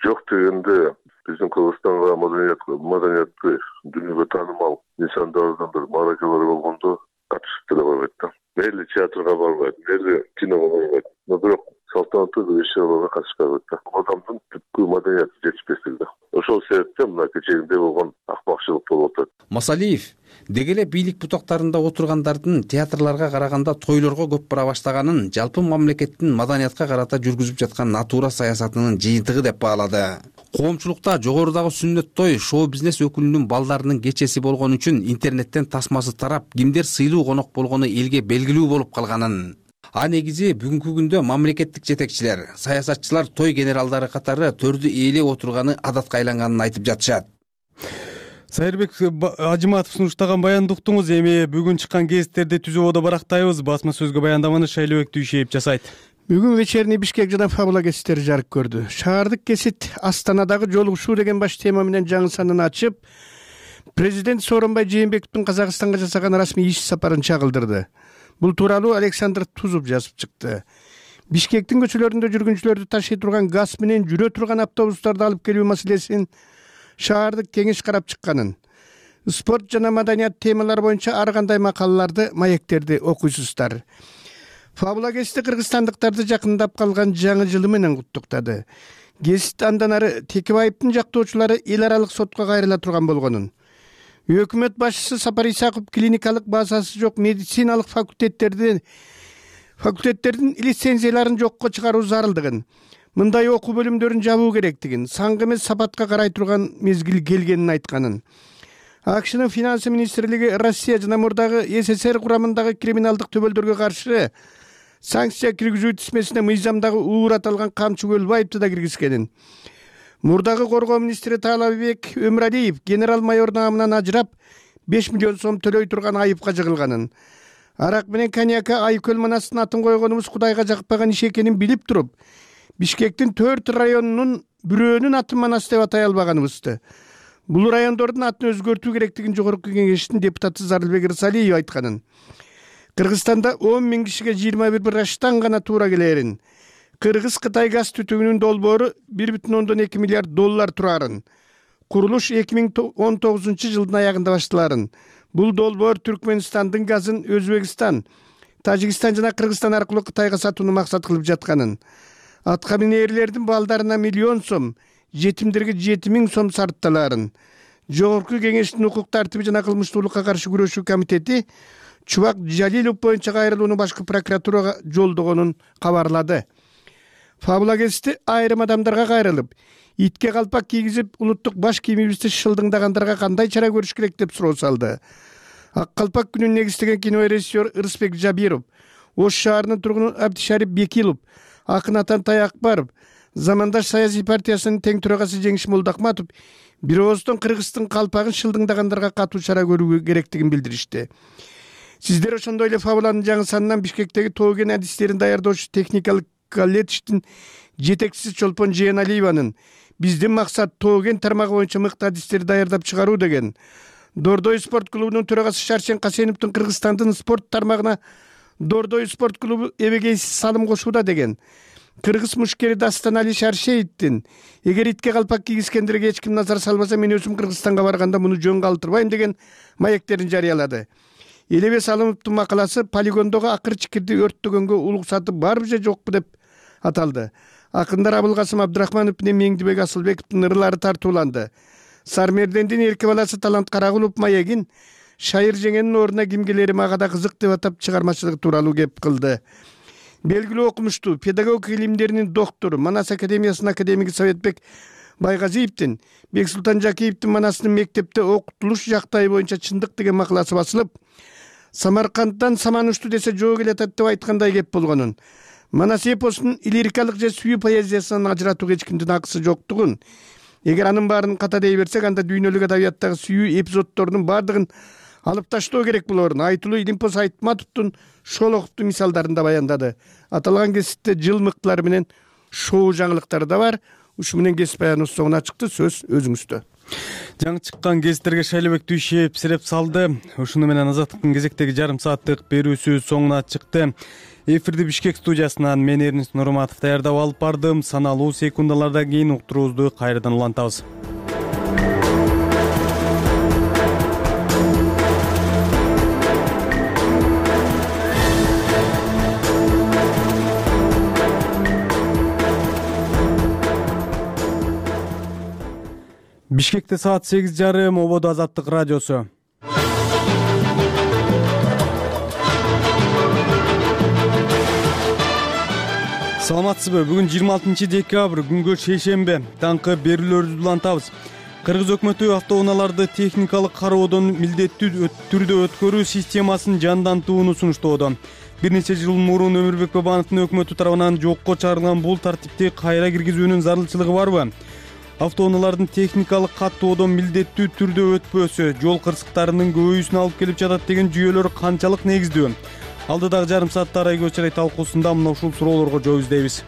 Жок дегенде биздин Кыргызстанга маданиятка маданиятты дүйнөгө таанымал нысандардан бир мааракалар болгондо катышып деле койбойт да. Мейли театрга барбайт, мейли киного барбайт. Но бирок салтанаттуу иш-чараларга катышпайт да. Адамдын түпкү маданияты жетишпестиги да. Ошол себептен мына кечээинде болгон акмакчылык болуп атат. Масалиев деги эле бийлик бутактарында отургандардын театрларга караганда тойлорго көп бара баштаганын жалпы мамлекеттин маданиятка карата жүргүзүп жаткан натура саясатынын жыйынтыгы деп баалады. Коомчулукта жогорудагы сүннөт той шоу-бизнес өкүлүнүн балдарынын кечеси болгон үчүн интернеттен тасмасы тарап, кимдер сыйлуу конок болгону элге белгилүү болуп калганын, а негизи бүгүнкү күндө мамлекеттик жетекчилер, саясатчылар той генералдары катары төрдү ээлеп отурганы адатка айланганын айтып жатышат. Сайырбек Ажыматов сунуштаган баянды уктуңуз. Эми бүгүн чыккан гезиттерди түзүү ода барактайбыз. Басма сөзгө баяндаманы Шайлообек Дүйшеев жасайт. Бүгүн вечерний Бишкек жана Фабула гезиттери жарык көрдү. Шаардык гезит Астанадагы жолугушуу деген баш тема менен жаңы санын ачып, президент Сооронбай Жээнбековдун Казакстанга жасаган расмий иш сапарын чагылдырды. Бул тууралуу Александр Тузов жазып чыкты. Бишкектин көчөлөрүндө жүргүнчүлөрдү ташый турган газ менен жүрө турган автобустарды алып келүү маселесин шаардык кеңеш карап чыкканын, спорт жана маданият темалары боюнча ар кандай макалаларды, маектерди окуйсуздар. Фабула гезити кыргызстандыктарды жакындап калган жаңы жылы менен куттуктады. Гезит андан ары Текебаевдин жактоочулары эл аралык сотко кайрыла турган болгонун, өкмөт башчысы Сапар Исаков клиникалык базасы жок медициналык факультеттердин факультеттердин лицензияларын жокко чыгаруу зарылдыгын, мындай окуу бөлүмдөрүн жабуу керектигин, саңгы эмес сапатка карай турган мезгил келгенин айтканын. АКШнын финансы министрлиги Россия жана мурдагы СССР курамындагы криминалдык төбөлдөргө каршы санкция киргизүү тизмесине мыйзамдагы уур аталган Камчы Көлбаевди да киргизгенин. Мурдагы коргоо министри Таалабек Өмүралиев генерал майор наамынан ажырап беш миллион сом төлөй турган айыпка жыгылганын. Арак менен коньякка Айкөл манастын атын койгонубуз Кудайга жакпаган иш экенин билип туруп, Бишкектин төрт районунун бирөөнүн атын манас деп атай албаганыбызды. Бул райондордун атын өзгөртүү керектигин жогорку кеңештин депутаты Зарылбек Ырсалиев айтканын. Кыргызстанда он миң кишиге жыйырма бир браштан гана туура келерин. Кыргыз-Кытай газ түтүгүнүн долбоору бир бүтүн ондон эки миллиард доллар турарын. Курулуш эки миң он тогузунчу жылдын аягында башталарын. Бул долбоор Түркмөнстандын газын Өзбекстан, Тажикстан жана Кыргызстан аркылуу Кытайга сатууну максат кылып жатканын. Атка минерлердин балдарына миллион сом, жетимдерге жети миң сом сарпталарын. Жогорку кеңештин укук тартиби жана кылмыштуулукка каршы күрөшүү комитети Чубак Жалилов боюнча кайрылууну башкы прокуратурага жолдогонун кабарлады. Фабула гезити айрым адамдарга кайрылып, итке калпак кийгизип, улуттук баш кийимибизди шылдыңдагандарга кандай чара көрүш керек деп суроо салды. Ак калпак күнүн негиздеген кинорежиссер Ырысбек Жабиров, Ош шаарынын тургуну Абдишарип Бекилов, акын Атантай Акбаров, Замандаш саясий партиясынын тең төрагасы Жеңиш Молдохматов бир ооздон Кыргыздын калпагын шылдыңдагандарга катуу чара көрүү керектигин билдиришти. Сиздер ошондой эле Фабуланын жаңы санынан Бишкектеги тоо кен адистерин даярдоочу техникалык колледждин жетекчиси Чолпон Жээналиеванын биздин максат тоо кен тармагы боюнча мыкты адистерди даярдап чыгаруу деген. Дордой спорт клубунун төрагасы Шаршен Касеновдун Кыргызстандын спорт тармагына Дордой спорт клубу эбегейсиз салым кошууда деген. Кыргыз мушкери Дастан Али Шаршеевдин эгер итке калпак кийгизгендерге эч ким назар салбаса, мен өзүм Кыргызстанга барганда муну жөн калтырбайм деген маектерин жарыялады. Элебе Салымовдун макаласы полигондогу акыр чикирди өрттөгөнгө уруксаты барбы же жокпу деп аталды. Акындар Абылкасым Абдрахманов менен Меңдибек Асылбековдун ырлары тартууланды. Сармердендин эрке баласы Талант Карагулов маегин Шайыр жеңенин ордуна ким келери мага да кызык деп атап чыгармачылык тууралуу кеп кылды. Белгилүү окумуштуу, педагогика илимдеринин доктору, Манас академиясынын академиги Советбек Байгазиевдин Бексултан Жакиевдин Манастын мектепте окутулуш жактайы боюнча чындык деген макаласы басылып, Самарканддан саман ушту десе жоо келатат деп айткандай кеп болгонун, Манас эпосунун лирикалык же сүйүү поэзиясынан ажыратууга эч кимдин акысы жоктугун, эгер анын баарын ката дей берсек, анда дүйнөлүк адабияттагы сүйүү эпизоддордун баардыгын алып таштоо керек болорун айтылуу Илимпоз Айтматовдун Шолоховдун мисалдарында баяндады. Аталган гезитте жыл мыктылары менен шоу жаңылыктары да бар. Ушу менен гезит баяныбыз соңуна чыкты. Сөз өзүңүздө. жаңы чыккан гезиттерге Шайлообек Дүйшиев сиреп салды. Ушуну менен Азаттыктын кезектеги жарым сааттык берүүсү соңуна чыкты. Эфирди Бишкек студиясынан мен Эрнис Нурматов даярдап алып бардым. Саналуу секундалардан кийин уктуруубузду кайрадан улантабыз. Бишкекте саат сегиз жарым, Ободо Азаттык радиосу. Саламатсызбы? Бүгүн жыйырма алтынчы декабрь, күнгө шейшембе. Таңкы берүүлөрүбүздү улантабыз. Кыргыз өкмөтү автоунааларды техникалык кароодон милдеттүү түрдө өткөрүү системасын жандантууну сунуштоодо. Бир нече жыл мурун Өмүрбек Бабановдун өкмөтү тарабынан жокко чыгарылган бул тартипти кайра киргизүүнүн зарылчылыгы барбы? Автоунаалардын техникалык каттоодон милдеттүү түрдө өтпөсү жол кырсыктарынын көбөйүүсүнө алып келип жатат деген жүйөлөр канчалык негиздүү? Алдыдагы жарым саатта Арай көз чырай талкуусунда мына ушул суроолорго жооп издейбиз.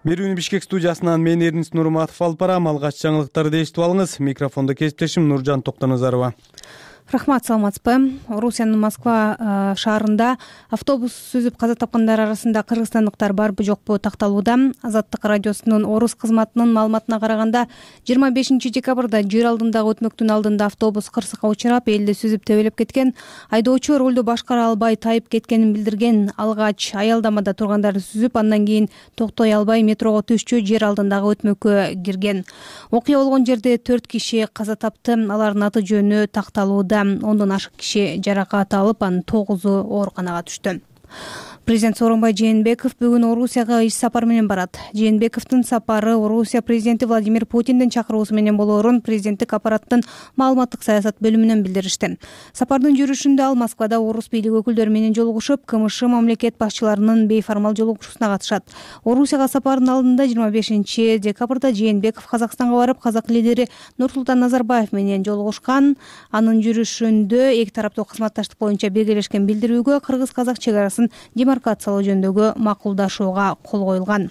Берүүнү Бишкек студиясынан мен Эрнис Нурматов алып барам. Алгач жаңылыктарды эшитип алыңыз. Микрофондо кесиптешим Нуржан Токтоназарова. Рахмат, саламатсызбы? Орусиянын Москва шаарында автобус сүзүп каза тапкандар арасында кыргызстандыктар барбы жокпу такталууда. Азаттык радиосунун Орус кызматынын маалыматына караганда, жыйырма бешинчи декабрда жер алдындагы өтмөктүн алдында автобус кырсыкка учурап, элди сүзүп тебелеп кеткен. Айдоочу рулду башкара албай тайып кеткенин билдирген. Алгач аялдамада тургандарды сүзүп, андан кийин токтой албай метрого түшчү, жер алдындагы өтмөккө кирген. Окуя болгон жерде төрт киши каза тапты. Алардын аты жөнү такталууда. Ондон ашык киши жаракат алып, анын тогузу ооруканага түштү. Президент Сооронбай Жээнбеков бүгүн Орусияга иш сапар менен барат. Жээнбековдун сапары Орусия президенти Владимир Путиндин чакыруусу менен болоорун президенттик аппараттын маалыматтык саясат бөлүмүнөн билдиришти. Сапардын жүрүшүндө ал Москвада орус бийлиги өкүлдөрү менен жолугушуп, КМШ мамлекет башчыларынын бейформал жолугушуусуна катышат. Орусияга сапардын алдында жыйырма бешинчи декабрда Жээнбеков Казакстанга барып, казак лидери Нурсултан Назарбаев менен жолугушкан. Анын жүрүшүндө эки тараптуу кызматташтык боюнча биргелешкен билдирүүгө кыргыз-казак чек арасын демаркациялоо жөнүндөгү макулдашууга кол коюлган.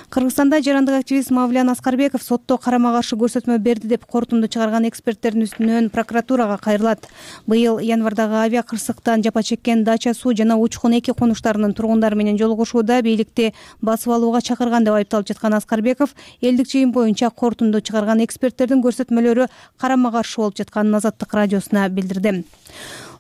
Кыргызстанда жарандык активист Мавлян Аскарбеков сотто карама каршы көрсөтмө берди деп корутунду чыгарган эксперттердин үстүнөн прокуратурага кайрылат. Быйыл январдагы авиа кырсыктан жапа чеккен Дача Суу жана Учкун эки конуштарынын тургундары менен жолугушууда бийликти басып алууга чакырган деп айыпталып жаткан Аскарбеков элдик чейим боюнча корутунду чыгарган эксперттердин көрсөтмөлөрү карама каршы болуп жатканын Азаттык радиосуна билдирди.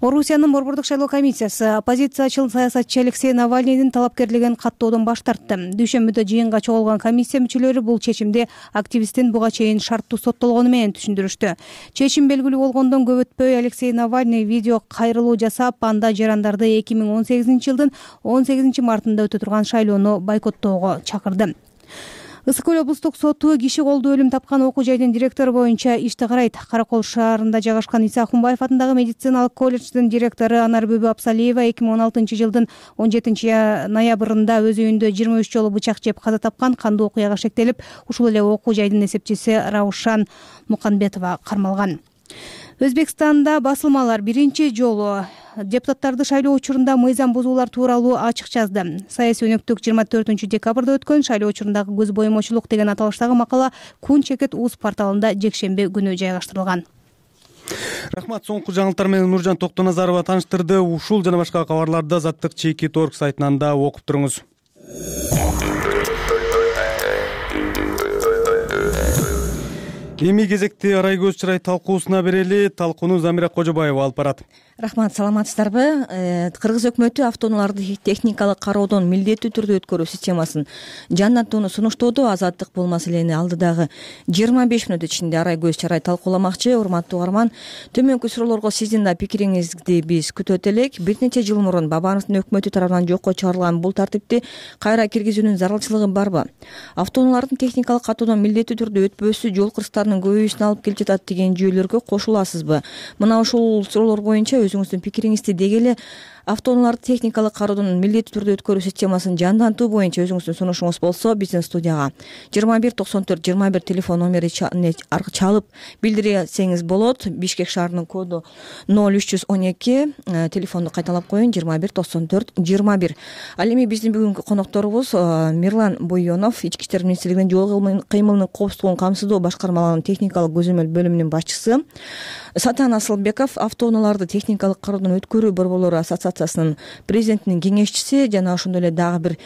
Орусиянын борбордук шайлоо комиссиясы оппозициячыл саясатчы Алексей Навальныйдын талапкерлигин каттоодон баш тартты. Дүйшөмбүдө жыйынга чогулган комиссия мүчөлөрү бул чечимди активисттин буга чейин шарттуу соттолгону менен түшүндүрүштү. Чечим белгилүү болгондон көп өтпөй Алексей Навальный видео кайрылуу жасап, анда жарандарды эки миң он сегизинчи жылдын он сегизинчи мартында өтө турган шайлоону бойкоттоого чакырды. Ысык көл облустук соту киши колдуу өлүм тапкан окуу жайдын директору боюнча ишти карайт. Каракол шаарында жайгашкан Иса Акунбаев атындагы медициналык колледждин директору Анарбүбү Абсалиева эки миң он алтынчы жылдын он жетинчи ноябрында өз үйүндө жыйырма үч жолу бычак жеп каза тапкан. Кандуу окуяга шектелип, ушул эле окуу жайдын эсепчиси Раушан Муканбетова кармалган. Өзбекстанда басылмалар биринчи жолу депутаттарды шайлоо учурунда мыйзам бузуулар тууралуу ачык жазды. Саясий өнөктүк жыйырма төртүнчү декабрда өткөн шайлоо учурундагы көз боемочулук деген аталыштагы макала Кун Чекет Уз порталында жекшемби күнү жайгаштырылган. Рахмат, соңку жаңылыктар менен Нуржан Токтоназарова тааныштырды. Ушул жана башка кабарларды Азаттык чейки торг сайтынан да окуп туруңуз. Эми кезекти Арай көз чырай талкуусуна берели. Талкууну Замира Кожобаева алып барат. Рахмат, саламатсыздарбы? Кыргыз өкмөтү автоунааларды техникалык кароодон милдеттүү түрдө өткөрүү системасын жандантууну сунуштоодо. Азаттык бул маселени алдыдагы жыйырма беш мүнөт ичинде Арай көз чырай талкууламакчы. Урматтуу угарман, төмөнкү суроолорго сиздин да пикириңизди биз күтөт элек. Бир нече жыл мурун Бабановдун өкмөтү тарабынан жокко чыгарылган бул тартипти кайра киргизүүнүн зарылчылыгы барбы? Автоунаалардын техникалык каттоодон милдеттүү түрдө өтпөсү жол кырсыктарынын көбөйүүсүнө алып келип жатат деген жүйөлөргө кошуласызбы? Мына ушул суроолор боюнча өзүңүздүн пикириңизди дегеле. автоунааларды техникалык кароодон милдеттүү түрдө өткөрүү системасын жандантуу боюнча өзүңүздүн сунушуңуз болсо биздин студияга жыйырма бир токсон төрт жыйырма бир телефон номери чалып билдирсеңиз болот. Бишкек шаарынын коду ноль үч жүз он эки, телефонду кайталап коеюн, жыйырма бир токсон төрт жыйырма бир. Ал эми биздин бүгүнкү конокторубуз Мирлан Буйонов, Ички иштер министрлигинин жол кыймылынын коопсуздугун камсыздоо башкармалыгынын техникалык көзөмөл бөлүмүнүн башчысы, Сатан Асылбеков, автоунааларды техникалык кароодон өткөрүү борборлору ассоциациясынын президентинин кеңешчиси, жана ошондой эле дагы бир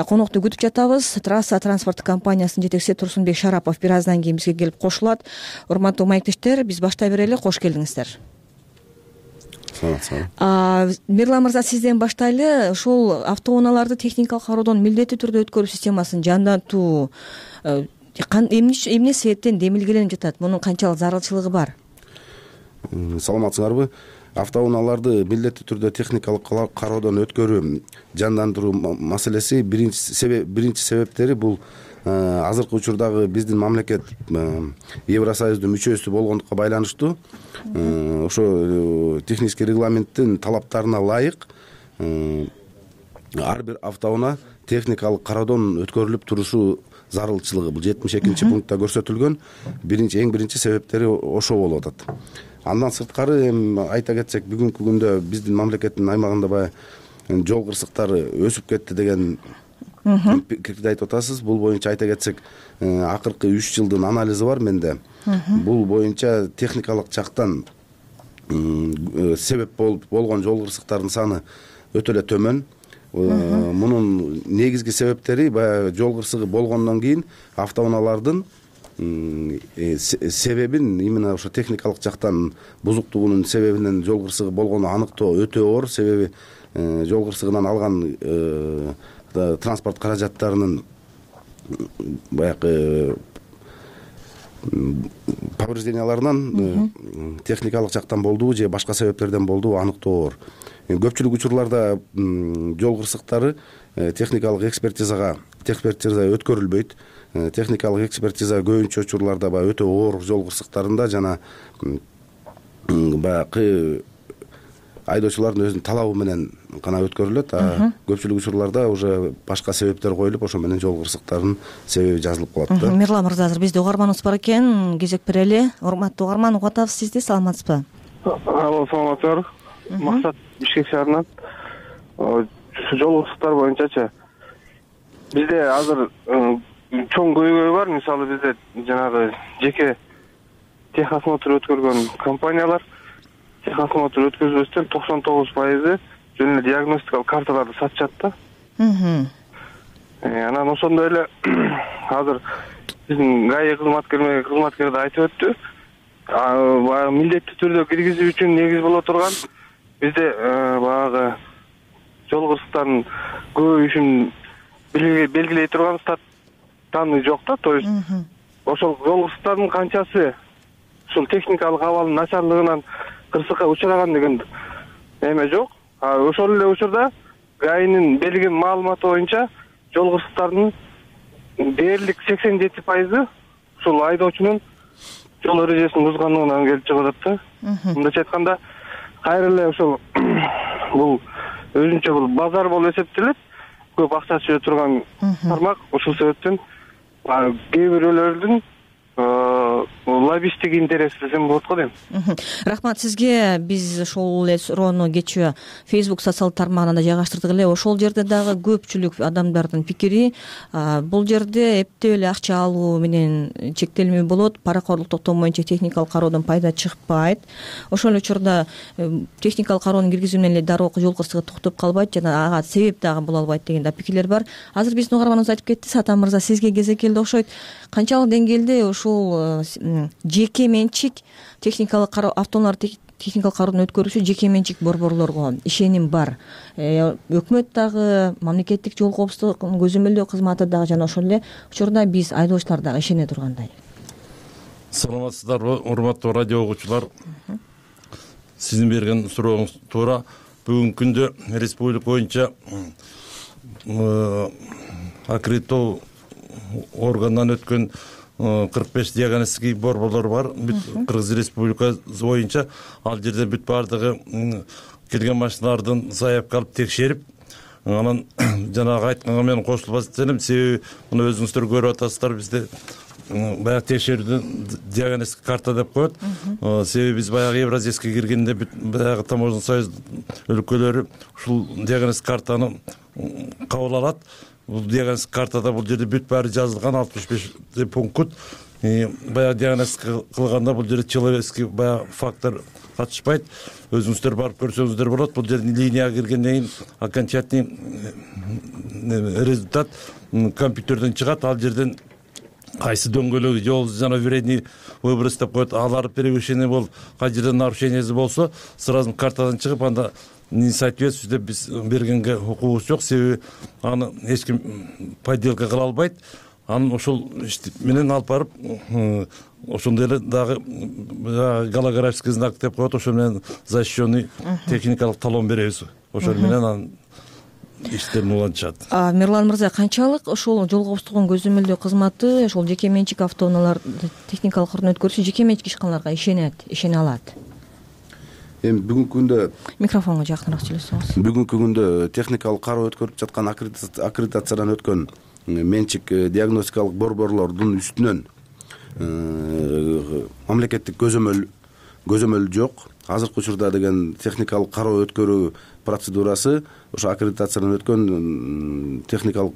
конокту күтүп жатабыз. Трасса транспорт компаниясынын жетекчиси Турсунбек Шарапов бир аздан кийин бизге келип кошулат. Урматтуу маектештер, биз баштай берели. Кош келдиңиздер. Мирлан мырза, сизден баштайлы. Ушул автоунааларды техникалык кароодон милдеттүү түрдө өткөрүү системасын жандантуу эмне себептен демилгеленип жатат? Мунун канчалык зарылчылыгы бар? Саламатсыңарбы? Автоунааларды милдеттүү түрдө техникалык кароодон өткөрүү жандандыруу маселеси биринчи себептери бул азыркы учурдагы биздин мамлекет Евросоюздун мүчөсү болгондукка байланыштуу. Ошо технический регламенттин талаптарына ылайык ар бир автоунаа техникалык кароодон өткөрүлүп турушу зарылчылыгы бул жетимиш экинчи пунктта көрсөтүлгөн. Биринчи эң биринчи себептери ошо болуп атат. Андан сырткары айта кетсек, бүгүнкү күндө биздин мамлекеттин аймагында баягы жол кырсыктары өсүп кетти деген пикирди айтып атасыз. Бул боюнча айта кетсек, акыркы үч жылдын анализи бар менде. Бул боюнча техникалык жактан себеп болуп болгон жол кырсыктардын саны өтө эле төмөн. Мунун негизги себептери баягы жол кырсыгы болгондон кийин автоунаалардын себебин, именно ошо техникалык жактан бузуктугунун себебинен жол кырсыгы болгону аныктоо өтө оор. Себеби жол кырсыгынан алган транспорт каражаттарынын баягы поврежденияларынан техникалык жактан болдубу же башка себептерден болдубу аныктоо оор. Көпчүлүк учурларда жол кырсыктары техникалык экспертизага экспертиза өткөрүлбөйт. Техникалык экспертиза көбүнчө учурларда баягы өтө оор жол кырсыктарында жана баягы айдоочулардын өзүнүн талабы менен гана өткөрүлөт. А көпчүлүк учурларда уже башка себептер коюлуп, ошо менен жол кырсыктарынын себеби жазылып калат да. Мирлан мырза, азыр бизде угарманыбыз бар экен, кезек берели. Урматтуу угарман, угуп атабыз сизди, саламатсызбы? Алло, саламатсыздарбы? Максат, Бишкек шаарынан. Жол кырсыктары боюнчачы бизде азыр чоң көйгөй бар. Мисалы бизде жанагы жеке техосмотр өткөргөн компаниялар техосмотр өткөзбөстөн токсон тогуз пайызы жөн эле диагностикалык карталарды сатышат да. Анан ошондой эле азыр биздин ГАИ кызматкерлери кызматкери да айтып өттү. Баягы милдеттүү түрдө киргизүү үчүн негиз боло турган бизде баягы жол кырсыктарынын көбөйүшүн белгилей турган статтаны жок да. То есть ошол жол кырсыктарынын канчасы ушул техникалык абалдын начарлыгынан кырсыкка учураган деген эме жок. Ошол эле учурда ГАИнин берген маалыматы боюнча жол кырсыктарынын дээрлик сексен жети пайызы ушул айдоочунун жол эрежесин бузганлыгынан келип чыгып атат да. Мындайча айтканда, кайра эле ошол бул өзүнчө бул базар болуп эсептелет. Көп акча чыга турган тармак. Ушул себептен кээ бирөөлөрдүн лоббисттик интерес десем болот го дейм. Рахмат сизге. Биз ошол эле суроону кечээ Facebook социалдык тармагына да жайгаштырдык эле. Ошол жерде дагы көпчүлүк адамдардын пикири бул жерде эптеп эле акча алуу менен чектелмөө болот. Паракорлук токтому боюнча техникалык кароодон пайда чыкпайт. Ошол учурда техникалык кароону киргизүү менен эле дароо жол кырсыгы токтоп калбайт жана ага себеп дагы боло албайт деген да пикирлер бар. Азыр биздин угарманыбыз айтып кетти. Сатан мырза, сизге кезек келди окшойт. Канчалык деңгээлде ушул жеке менчик техникалык кароо автоунааларды техникалык кароодон өткөрүүчү жеке менчик борборлорго ишеним бар? Өкмөт дагы, мамлекеттик жол коопсуздугун көзөмөлдөө кызматы дагы жана ошол эле учурда биз айдоочулар дагы ишене тургандай. Саламатсыздарбы, урматтуу радио угуучулар. Сиздин берген сурооңуз туура. Бүгүнкү күндө республика боюнча аккредитоо органдан өткөн кырк беш диагностикий борборлор бар. Кыргыз Республикасы боюнча ал жерде бүт баардыгы келген машиналардын заявка алып текшерип, анан жанагы айтканга мен кошулбас элем. Себеби муну өзүңүздөр көрүп атасыздар, бизде баягы текшерүүдөн диагностика карта деп коет. Себеби биз баягы Евразийскийге киргенде баягы Таможенный союз өлкөлөрү ушул диагностика картаны кабыл алат. Бул диагностика картада бул жерде бүт баары жазылган, алтымыш беш пункт. Баягы диагностика кылганда бул жерде человеческий баягы фактор катышпайт. Өзүңүздөр барып көрсөңүздөр болот. Бул жерден линияга киргенден кийин окончательный результат компьютерден чыгат. Ал жерден кайсы дөңгөлөк жол жана вредный выброс деп коет, алар превышение болуп, кай жерде нарушениясы болсо, сразу картадан чыгып, анда не соответствует деп биз бергенге укугубуз жок. Себеби аны эч ким подделка кыла албайт. Анын ошол менен алып барып, ошондой эле дагы голографический знак деп коет, ошо менен защищенный техникалык талон беребиз. Ошол менен анын иштерин улантышат. Мирлан мырза, канчалык ошол жол коопсуздугун көзөмөлдөө кызматы, ошол жеке менчик автоунааларды техникалык кырын өткөрүүсү жеке менчик ишканаларга ишенет, ишене алат? Эми бүгүнкү күндө микрофонго жакыныраак сүйлөсөңүз. Бүгүнкү күндө техникалык кароо өткөрүп жаткан аккредитациядан өткөн менчик диагностикалык борборлордун үстүнөн мамлекеттик көзөмөл көзөмөл жок. Азыркы учурда деген техникалык кароо өткөрүү процедурасы ошо аккредитациядан өткөн техникалык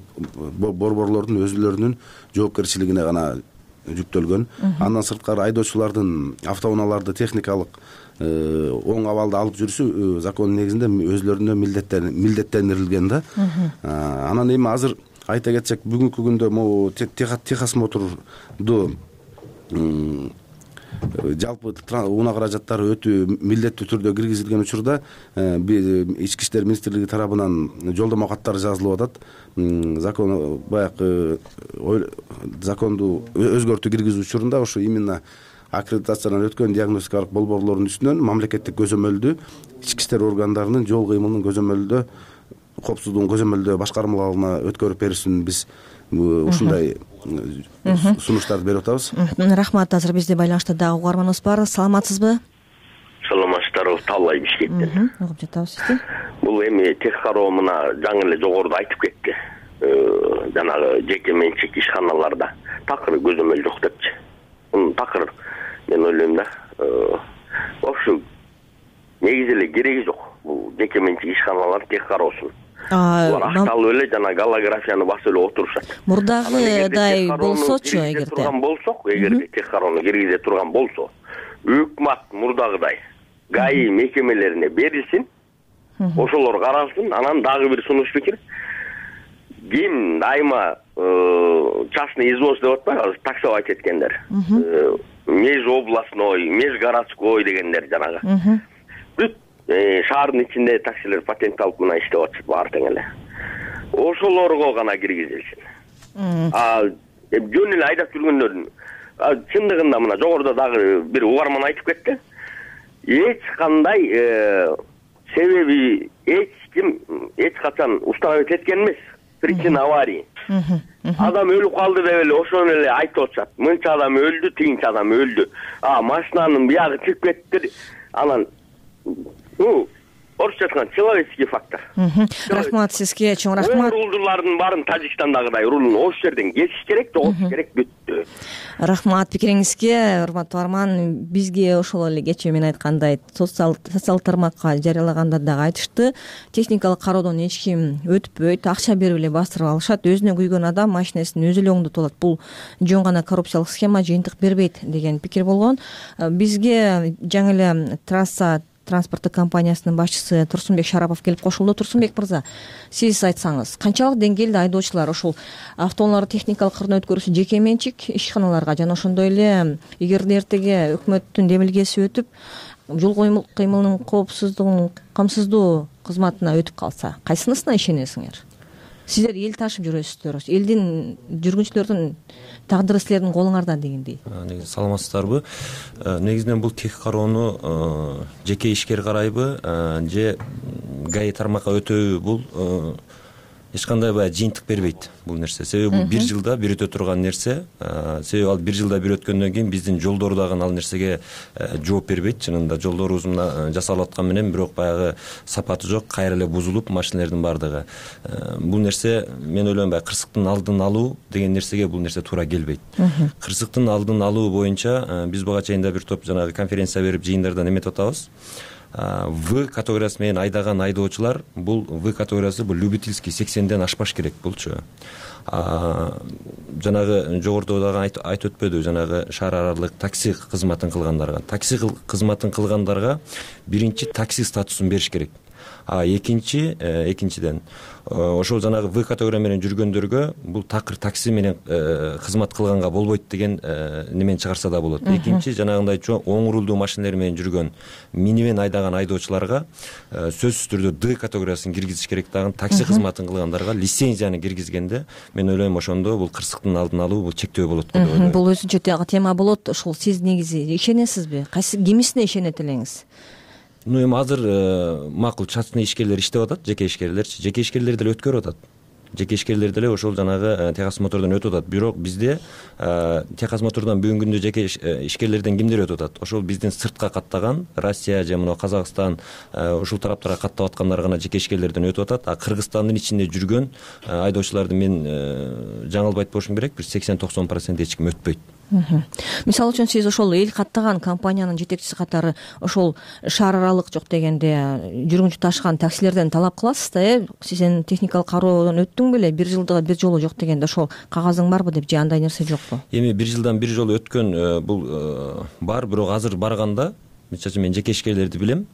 борборлордун өзүлөрүнүн жоопкерчилигине гана жүктөлгөн. Андан сырткары айдоочулардын автоунааларды техникалык оң абалда алып жүрүшү закондун негизинде өзүлөрүнө милдеттендирилген да. Анан эми азыр айта кетсек, бүгүнкү күндө могу техосмотрду жалпы унаа каражаттары өтүү милдеттүү түрдө киргизилген учурда Ички иштер министрлиги тарабынан жолдомо каттары жазылып атат. Закон баягы законду өзгөртүү киргизүү учурунда ошо именно аккредитациядан өткөн диагностикалык борборлордун үстүнөн мамлекеттик көзөмөлдү ички иштер органдарынын жол кыймылынын көзөмөлдө, коопсуздугун көзөмөлдөө башкармаларына өткөрүп берүүсүн биз ушундай сунуштарды берип атабыз. Рахмат. Азыр бизде байланышта дагы угарманыбыз бар. Саламатсызбы? Саламатсыздарбы, Таллай Бишкектен. Угуп жатабыз сизди. Бул эми тех кароо мына жаңы эле жогоруда айтып кетти. Жанагы жеке менчик ишканаларда такыр көзөмөл жок депчи. Мунун такыр мен ойлойм да, вообще негизи эле кереги жок. Бул жеке менчик ишканалар тех кароосун. Булар акталып эле жана голографияны басып эле отурушат. Мурдагыдай болсочу, эгерде турган болсок, эгерде тех кароону киргизе турган болсо, өкмөт мурдагыдай ГАИ мекемелерине берилсин, ошолор каралсын. Анан дагы бир сунуш пикир. Ким дайыма частный извоз деп атпайбы, таксо айтып кеткендер. Межобластной, межгородской дегендер жанагы. Бүт шаардын ичинде таксилер патент алып мына иштеп атышат баары тең эле. Ошолорго гана киргизилсин. А жөн эле айдап жүргөндөрдүн чындыгында мына жогоруда дагы бир угарман айтып кетти. Эч кандай себеби эч ким эч качан установить эткен эмес. Причина аварии. Адам өлүп калды деп эле ошону эле айтып атышат. Мынча адам өлдү, тигинчи адам өлдү. А машинанын биягы чыгып кетти. Анан ну, орусча айтканда человеческий фактор. Рахмат сизге, чоң рахмат. Рулдулардын баарын Тажикстандагыдай рулун ош жерден кесиш керек, жоготуш керек, бүттү. Рахмат пикириңизге, урматтуу арман. Бизге ошол эле кечээ мен айткандай социал социал тармакка жарыялаганда дагы айтышты. Техникалык кароодон эч ким өтпөйт, акча берип эле бастырып алышат. Өзүнө күйгөн адам машинесин өзү эле оңдотуп алат. Бул жөн гана коррупциялык схема, жыйынтык бербейт деген пикир болгон. Бизге жаңы эле трасса транспорттук компаниясынын башчысы Турсунбек Шарапов келип кошулду. Турсунбек мырза, сиз айтсаңыз, канчалык деңгээлде айдоочулар ушул автоунааларды техникалык кырын өткөрүүсү жеке менчик ишканаларга жана ошондой эле эгерде эртеге өкмөттүн демилгеси өтүп жол кыймылынын коопсуздугун камсыздоо кызматына өтүп калса, кайсынысына ишенесиңер? Сиздер эл ташып жүрөсүздөр, элдин жүргүнчүлөрдүн тагдыры силердин колуңарда дегендей. Саламатсыздарбы? Негизинен бул тех кароону жеке ишкер карайбы же ГАИ тармакка өтөбү? Бул эч кандай баягы жыйынтык бербейт бул нерсе. Себеби бул бир жылда бир өтө турган нерсе. Себеби ал бир жылда бир өткөндөн кийин биздин жолдор дагы ал нерсеге жооп бербейт. Чынында жолдорубуз мына жасалып аткан менен бирок баягы сапаты жок, кайра эле бузулуп машиналердин баардыгы. Бул нерсе мен ойлойм баягы кырсыктын алдын алуу деген нерсеге бул нерсе туура келбейт. Кырсыктын алдын алуу боюнча биз буга чейин да бир топ жанагы конференция берип жыйындардан эметип атабыз. В категориясы менен айдаган айдоочулар бул В категориясы бул любительский сексенден ашпаш керек булчу. Жанагы жогоруда дагы айтып өтпөдү, жанагы шаар аралык такси кызматын кылгандарга. Такси кызматын кылгандарга биринчи такси статусун бериш керек. А экинчи экинчиден ошол жанагы В категория менен жүргөндөргө бул такыр такси менен кызмат кылганга болбойт деген немени чыгарса да болот. Экинчи жанагындай чоң оң рулдуу машиналар менен жүргөн минивэн айдаган айдоочуларга сөзсүз түрдө Д категориясын киргизиш керек дагы. Такси кызматын кылгандарга лицензияны киргизгенде мен ойлойм ошондо бул кырсыктын алдын алуу бул чектөө болот го деп ойлойм. Бул өзүнчө тема болот. Ошол сиз негизи ишенесизби? Кайсы кимисине ишенет элеңиз? Ну эми азыр макул частный ишкерлер иштеп атат, жеке ишкерлерчи. Жеке ишкерлер деле өткөрүп атат. Жеке ишкерлер деле ошол жанагы техосмотрдон өтүп атат. Бирок бизде техосмотрдон бүгүнкү күндө жеке ишкерлерден кимдер өтүп атат? Ошол биздин сыртка каттаган Россия же мына Казакстан ушул тараптарга каттап аткандар гана жеке ишкерлерден өтүп атат. А Кыргызстандын ичинде жүргөн айдоочуларды мен жаңылбайт болушум керек, бир сексен токсон процент эч ким өтпөйт. Мисалы үчүн сиз ошол эл каттаган компаниянын жетекчиси катары ошол шаар аралык жок дегенде жүргүнчү ташыган таксилерден талап кыласыз да, э сен техникалык кароодон өттүң беле, бир жылда бир жолу жок дегенде ошол кагазың барбы деп, же андай нерсе жокпу? Эми бир жылдан бир жолу өткөн бул бар, бирок азыр барганда мисалы мен жеке ишкерлерди билем.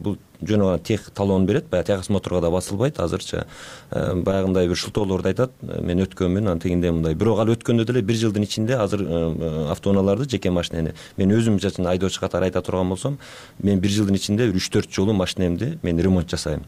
Бул жөн гана тех талон берет, баягы техосмотрго да басылбайт азырчы. Баягындай бир шылтоолорду айтат, мен өткөнмүн, анан тегиндей мындай. Бирок ал өткөндө деле бир жылдын ичинде азыр автоунааларды, жеке машинени мен өзүм мисалы үчүн айдоочу катары айта турган болсом, мен бир жылдын ичинде үч төрт жолу машинемди мен ремонт жасайм.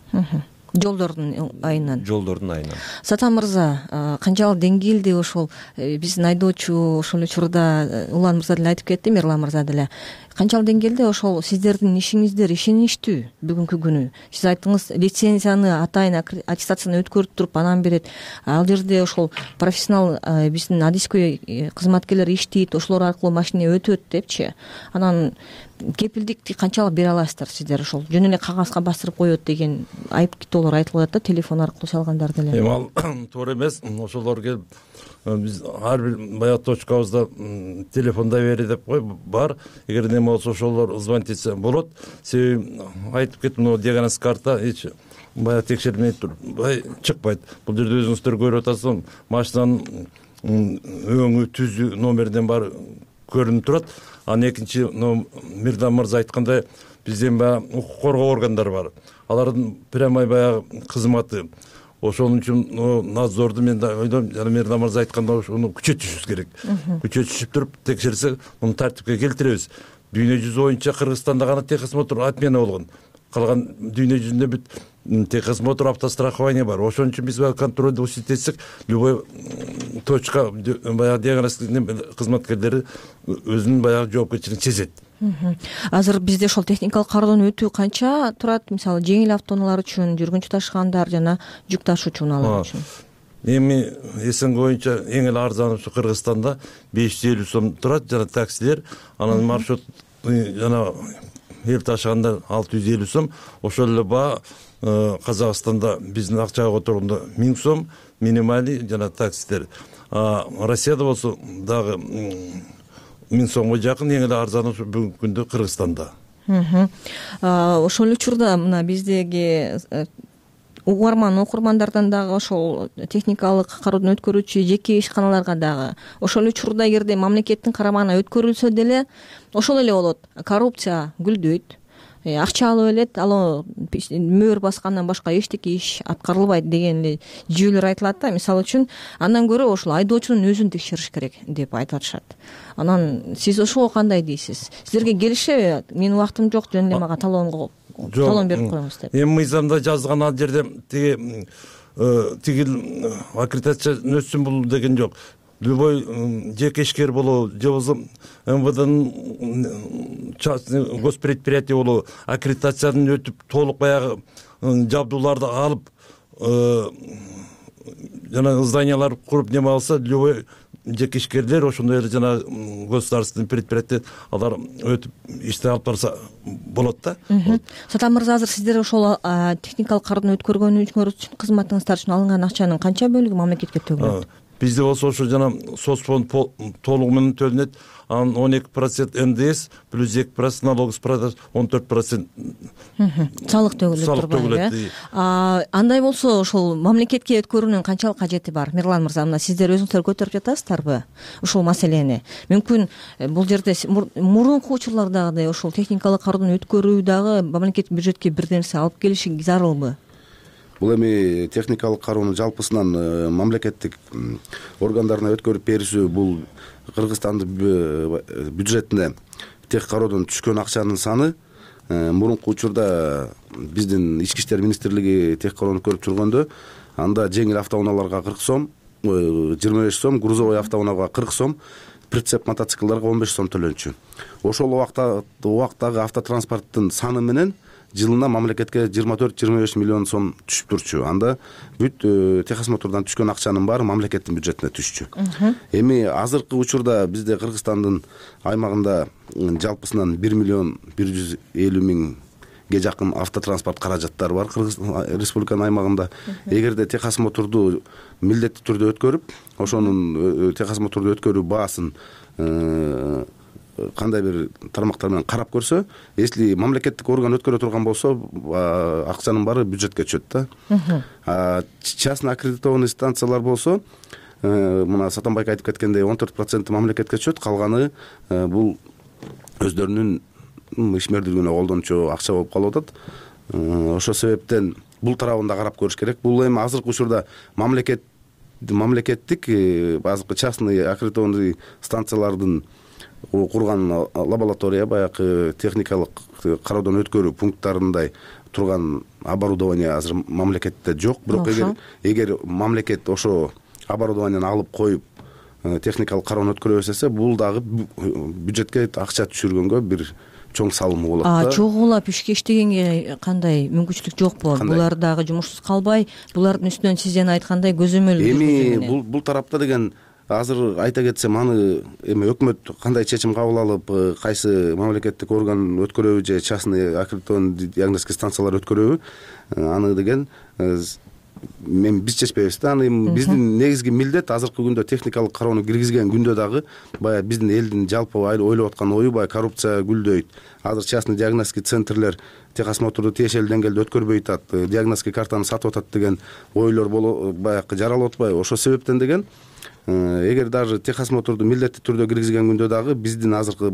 Жолдордун айынан. Жолдордун айынан. Сатан мырза, канчалык деңгээлде ошол биздин айдоочу ошол учурда Улан мырза деле айтып кетти, Мирлан мырза деле. Канчалык деңгээлде ошол сиздердин ишиңиздер ишеничтүү бүгүнкү күнү? Сиз айттыңыз, лицензияны атайын аттестацияны өткөрүп туруп анан берет. Ал жерде ошол профессионал биздин адискөй кызматкерлер иштейт, ошолор аркылуу машина өтөт депчи. Анан кепилдикти канчалык бере аласыздар сиздер? Ошол жөн эле кагазга басырып коет деген айып китоолор айтылып атат да, телефон аркылуу чалгандар деле. Эми ал туура эмес. Ошолор келип биз ар бир баягы точкабызда телефонда бери деп кой бар. Эгер неме болсо ошолор звонить этсе болот. Себеби айтып кеттим, могу диагноз карта эч баягы текшерилмей туруп бай чыкпайт. Бул жерде өзүңүздөр көрүп атасыздар, машинанын өңү, түзү, номерден баары көрүнүп турат. Анан экинчи Мирдан мырза айткандай, бизден баягы укук коргоо органдары бар. Алардын прямой баягы кызматы. Ошон үчүн надзорду мен да ойлойм, жана Мирдан мырза айткандай ошону күчөтүшүбүз керек. Күчөтүшүп туруп текшерсек, муну тартипке келтиребиз. Дүйнө жүзү боюнча Кыргызстанда гана техосмотр отмена болгон. Калган дүйнө жүзүндө бүт техосмотр, автострахование бар. Ошон үчүн биз баягы контролду усилить любой точка баягы диагностик кызматкерлери өзүнүн баягы жоопкерчилигин сезет. Азыр бизде ошол техникалык кароодон өтүү канча турат? Мисалы, жеңил автоунаалар үчүн, жүргүнчү ташыгандар жана жүк ташуучу унаалар үчүн. Эми СНГ боюнча эң эле арзаны ушу Кыргызстанда беш жүз элүү сом турат, жана таксилер, анан маршрут жана эл ташыгандар алты жүз элүү сом. Ошол эле баа Казакстанда биздин акчага которгондо миң сом минималий жана таксилер. Россияда болсо дагы миң сомго жакын, эң эле арзаны ушу бүгүнкү күндө Кыргызстанда. Ошол учурда мына биздеги угарман окурмандардан дагы ошол техникалык кароодон өткөрүүчү жеке ишканаларга дагы ошол учурда эгерде мамлекеттин карамагына өткөрүлсө деле ошол эле болот. Коррупция гүлдөйт, акча алып элет, ал мөөр баскандан башка эчтеке иш аткарылбайт деген эле жүйөлөр айтылат да. Мисалы үчүн андан көрө ошол айдоочунун өзүн текшериш керек деп айтып атышат. Анан сиз ошого кандай дейсиз? Сиздерге келишеби? Менин убактым жок, жөн эле мага талонго талон берип коюңуз деп. Эми мыйзамда жазылган ал жерде тиги тигил аккредитация өтсүн бул деген жок. Любой жеке ишкер болобу, же болбосо МВДнын частный госпредприятие болобу, аккредитациядан өтүп толук баягы жабдууларды алып жана зданиялар куруп неме алса, любой жеке ишкерлер ошондой эле жана государственный предприятие алар өтүп ишти алып барса болот да. Сатан мырза, азыр сиздер ошол техникалык кароодон өткөргөнүңөр үчүн, кызматыңыздар үчүн алынган акчанын канча бөлүгү мамлекетке төгүлөт? Бизде болсо ошо жана соцфонд толугу менен төлөнөт. Анын он эки процент эн дэ эс плюс эки процент налог с продаж, он төрт процент салык төгүлөт турбайбы? Андай болсо ошол мамлекетке өткөрүүнүн канчалык кажети бар? Мирлан мырза, мына сиздер өзүңүздөр көтөрүп жатасыздарбы ушул маселени? Мүмкүн бул жерде мурунку учурлардагыдай ошол техникалык кароодон өткөрүү дагы мамлекеттик бюджетке бир нерсе алып келиши зарылбы? Бул эми техникалык кароону жалпысынан мамлекеттик органдарына өткөрүп берүүсү, бул Кыргызстандын бюджетине тех кароодон түшкөн акчанын саны. Мурунку учурда биздин ички иштер министрлиги тех кароону көрүп жүргөндө, анда жеңил автоунааларга кырк сом, жыйырма беш сом, грузовой автоунаага кырк сом, прицеп мотоциклдарга он беш сом төлөнчү. Ошол убактагы автотранспорттун саны менен жылына мамлекетке жыйырма төрт жыйырма беш миллион сом түшүп турчу. Анда бүт техосмотрдан түшкөн акчанын баары мамлекеттин бюджетине түшчү. Эми азыркы учурда бизде Кыргызстандын аймагында жалпысынан бир миллион бир жүз элүү миңге жакын автотранспорт каражаттары бар Кыргыз республиканын аймагында. Эгерде техосмотрду милдеттүү түрдө өткөрүп, ошонун техосмотрду өткөрүү баасын кандай бир тармактар менен карап көрсө, если мамлекеттик орган өткөрө турган болсо, акчанын баары бюджетке түшөт да. Частный аккредитованный станциялар болсо, мына Сатанбайк айтып кеткендей он төрт процент мамлекетке түшөт, калганы бул өздөрүнүн ишмердүүлүгүнө колдончу акча болуп калып атат. Ошол себептен бул тарабын да карап көрүш керек. Бул эми азыркы учурда мамлекет мамлекеттик азыркы частный аккредитованный станциялардын курган лаборатория, баягы техникалык кароодон өткөрүү пункттарындай турган оборудование азыр мамлекетте жок. Бирок эгер эгер мамлекет ошо оборудованияны алып коюп техникалык кароону өткөрө берсе, бул дагы бюджетке акча түшүргөнгө бир чоң салымы болот да. Чогуулап ишке иштегенге кандай мүмкүнчүлүк жокпу? Булар дагы жумушсуз калбай, булардын үстүнөн сиз жана айткандай көзөмөл эми бул бул тарапта деген азыр айта кетсем, аны эми өкмөт кандай чечим кабыл алып, кайсы мамлекеттик орган өткөрөбү же частный аккредитованный диагностика станциялар өткөрөбү, аны деген мен биз чечпейбиз да. Аны биздин негизги милдет азыркы күндө техникалык кароону киргизген күндө дагы баягы биздин элдин жалпы ойлоп аткан ою баягы коррупция гүлдөйт. Азыр частный диагностика центрлер техосмотрду тиешелүү деңгээлде өткөрбөй атат, диагностика картаны сатып атат деген ойлор баягы жаралып атпайбы? Ошол себептен деген эгер даже техосмотрду милдеттүү түрдө киргизген күндө дагы биздин азыркы